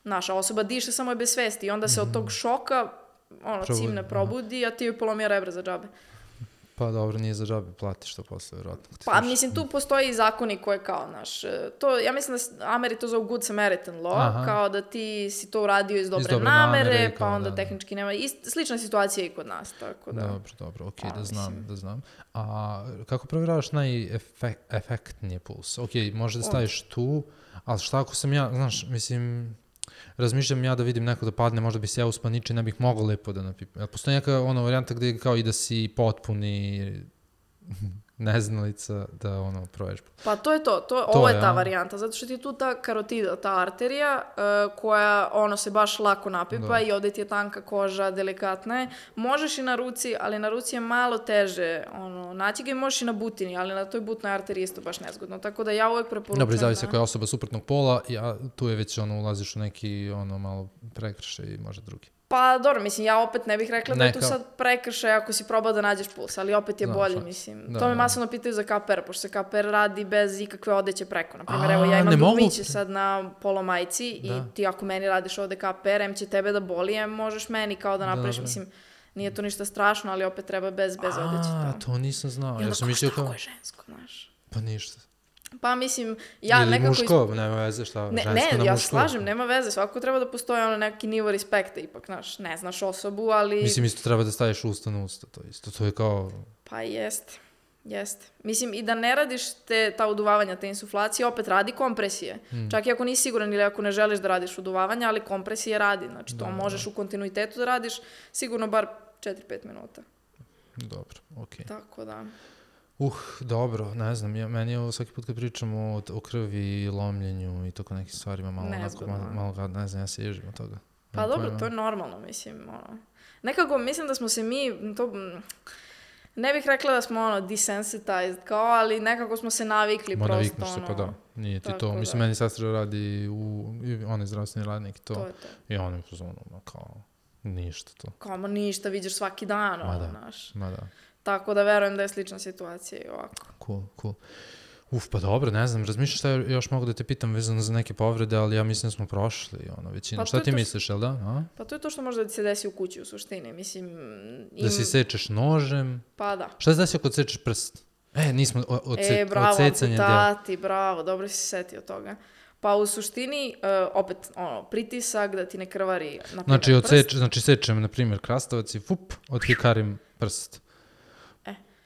Naša osoba diše, samo je bez svesti i onda se od tog šoka cimne probudi, a ti joj polomio rebra za džabe. Pa dobro, nije za džabe, platiš to posle, vjerojatno. Pa mislim, tu postoji i zakoni koje kao, ja mislim da Ameri to zovu Good Samaritan law, kao da ti si to uradio iz dobre namere, pa onda tehnički nema, slična situacija i kod nas, tako da. Dobro, okej, da znam. A kako provjeravaš najefektnije puls? Okej, može da staviš tu, ali šta ako sam ja, znaš, mislim... Razmišljam ja da vidim neko da padne, možda bi se ja uspaniči, ne bih mogao lepo da napipam. Jel postoji neka varijanta gde kao i da si potpuni neznalica da proveš? Pa to je to. Ovo je ta varijanta, zato što ti je tu ta karotida, ta arterija koja se baš lako napipa i ovdje ti je tanka koža, delikatna je. Možeš i na ruci, ali na ruci je malo teže naći ga i možeš i na butini, ali na toj butnoj arteriji isto baš nezgodno. Tako da ja uvek preporučujem. Dobro, zavisi koja je osoba suprotnog pola, tu je već ulaziš u neki malo prekršaj i možda drugi. Pa dobro, mislim, ja opet ne bih rekla da je tu sad prekršaj ako si probao da nađeš puls, ali opet je bolje, mislim. To me masovno pitaju za KPR, pošto se KPR radi bez ikakve odeće preko. Naprimjer, evo ja imam dugmiće sad na polomajci i ti ako meni radiš ovde KPR, em će tebe da boli, možeš meni kao da napraviš, mislim, nije to ništa strašno, ali opet treba bez odeće. To nisam znao. I onda kako je žensko, znaš. Pa ništa. Pa mislim, ja ili nekako... muško, nema veze šta, žensko na muško. Ne, ja slažem, nema veze, svako treba da postoji neki nivo respekta, ipak, znaš, ne znaš osobu, ali... Mislim, isto treba da staviš usta na usta, to je kao... Pa jeste. Mislim, i da ne radiš ta uduvavanja, te insuflacije, opet radi kompresije. Čak i ako nisi siguran ili ako ne želiš da radiš uduvavanja, ali kompresije radi, znači to možeš u kontinuitetu da radiš, sigurno bar 4-5 minuta. Dobro, okej. Tako da... Dobro, ne znam, meni je ovo svaki put kad pričamo o krvi i lomljenju i tako nekim stvarima malo ne znam, ja se ježim od toga. Pa dobro, to je normalno, mislim, nekako mislim da smo se mi, ne bih rekla da smo desensitized kao, ali nekako smo se navikli prosto. Navikneš se, pa da, nije ti to. Mislim, meni sestra radi on je zdravstveni radnik i to. I on je kao, ništa to. Kao, ništa, vidiš svaki dan, znaš. Ma da. Tako da verujem da je slična situacija i ovako. Cool. Pa dobro, ne znam, razmišljaš šta još mogu da te pitam vezano za neke povrede, ali ja mislim da smo prošli većinu. Pa šta ti misliš, jel da? Pa to je to što može da ti se desi u kući u suštini, mislim... Da si sečeš nožem? Pa da. Šta se desi ako odsečeš prst? Nismo bravo, amputati, bravo, dobro si se setio toga. Pa u suštini, opet, pritisak da ti ne krvari, na primjer, Znači, sečem, na primjer, krastavac i odhikarim prst.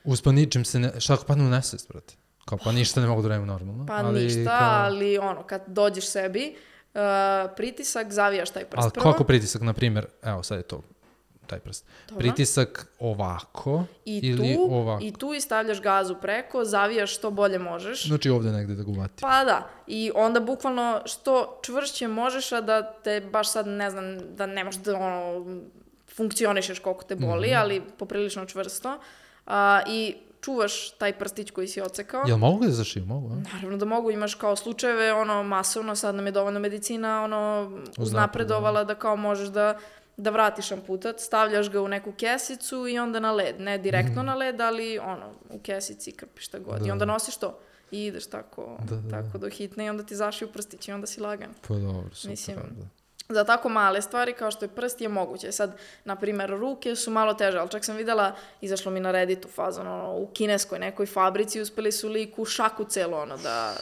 Uspaničim se, šta ako padne u nesvest, brate? Kao, pa ništa ne mogu da radim normalno. Pa ništa, ali kad dođeš sebi, pritisak, zavijaš taj prst prvo. Ali kako pritisak, na primjer, evo sad je to, taj prst. Dobro. Pritisak ovako ili ovako? I tu stavljaš gazu preko, zavijaš što bolje možeš. Znači ovdje negdje da ga uvatim. Pa da, i onda bukvalno što čvršće možeš, a da te baš sad, ne znam, da ne možeš da funkcionišeš koliko te boli, ali poprilično čvrsto. I čuvaš taj prstić koji si ocekao. Jel mogu da zašiju? Mogu, a? Naravno da mogu, imaš kao slučajeve, masovno, sad nam je dovoljno medicina, uznapredovala da kao možeš da vratiš amputat, stavljaš ga u neku kesicu i onda na led, ne direktno na led, ali u kesici krpiš šta god. I onda nosiš to i ideš tako do hitne i onda ti zašiju prstić i onda si lagan. Pa dobro, super. Mislim, za tako male stvari kao što je prst je moguće. Sad, na primjer, ruke su malo teže, ali čak sam videla, izašlo mi na Redditu fazon, u kineskoj nekoj fabrici uspeli su liku šaku celo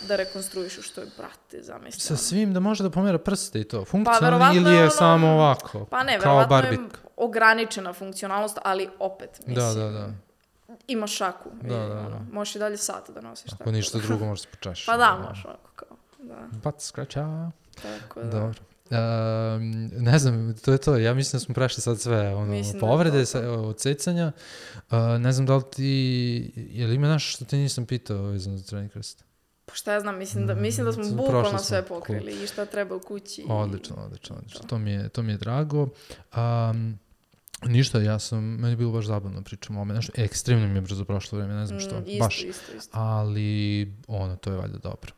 da rekonstruišu, što je, brate, zamisli. Sa svim da može da pomera prste i to? Funkcionalno ili je samo ovako? Pa ne, verovatno je ograničena funkcionalnost, ali opet, mislim. Da. Imaš šaku. Možeš i dalje sat da nosiš. Ako ništa drugo možeš se počašiti. Pa da, možeš ovako kao. Bat skraća. Tako da. Dobro. Ne znam, to je to. Ja mislim da smo prešli sad sve povrede, odsecanja. Ne znam da li je li ima nešto što te nisam pitao vezano za Crveni krst? Pa šta ja znam, mislim da smo bukvalno sve pokrili i šta treba u kući. Odlično. To mi je drago. Ništa, meni je bilo baš zabavno pričamo o ome. Nešto, ekstremno mi je brzo prošlo vreme, ne znam što. Isto. Ali, to je valjda dobro.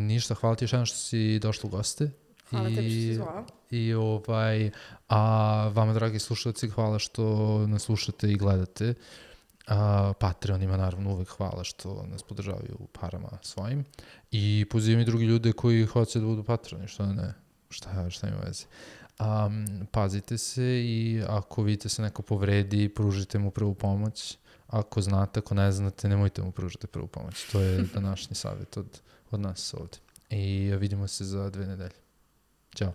Ništa, hvala ti još jednom što si došla u goste. Hvala tebi što si zvala. A vama, dragi slušalci, hvala što nas slušate i gledate. Patreonima, naravno, uvek hvala što nas podržavaju parama svojim. I pozivam i drugi ljude koji hoće da budu patroni, što ne, šta ima veze. Pazite se i ako vidite se neko povredi, pružite mu prvu pomoć. Ako znate, ako ne znate, nemojte mu pružiti prvu pomoć. To je današnji savjet od nas ovdje. I vidimo se za 2 nedelje. Ćao.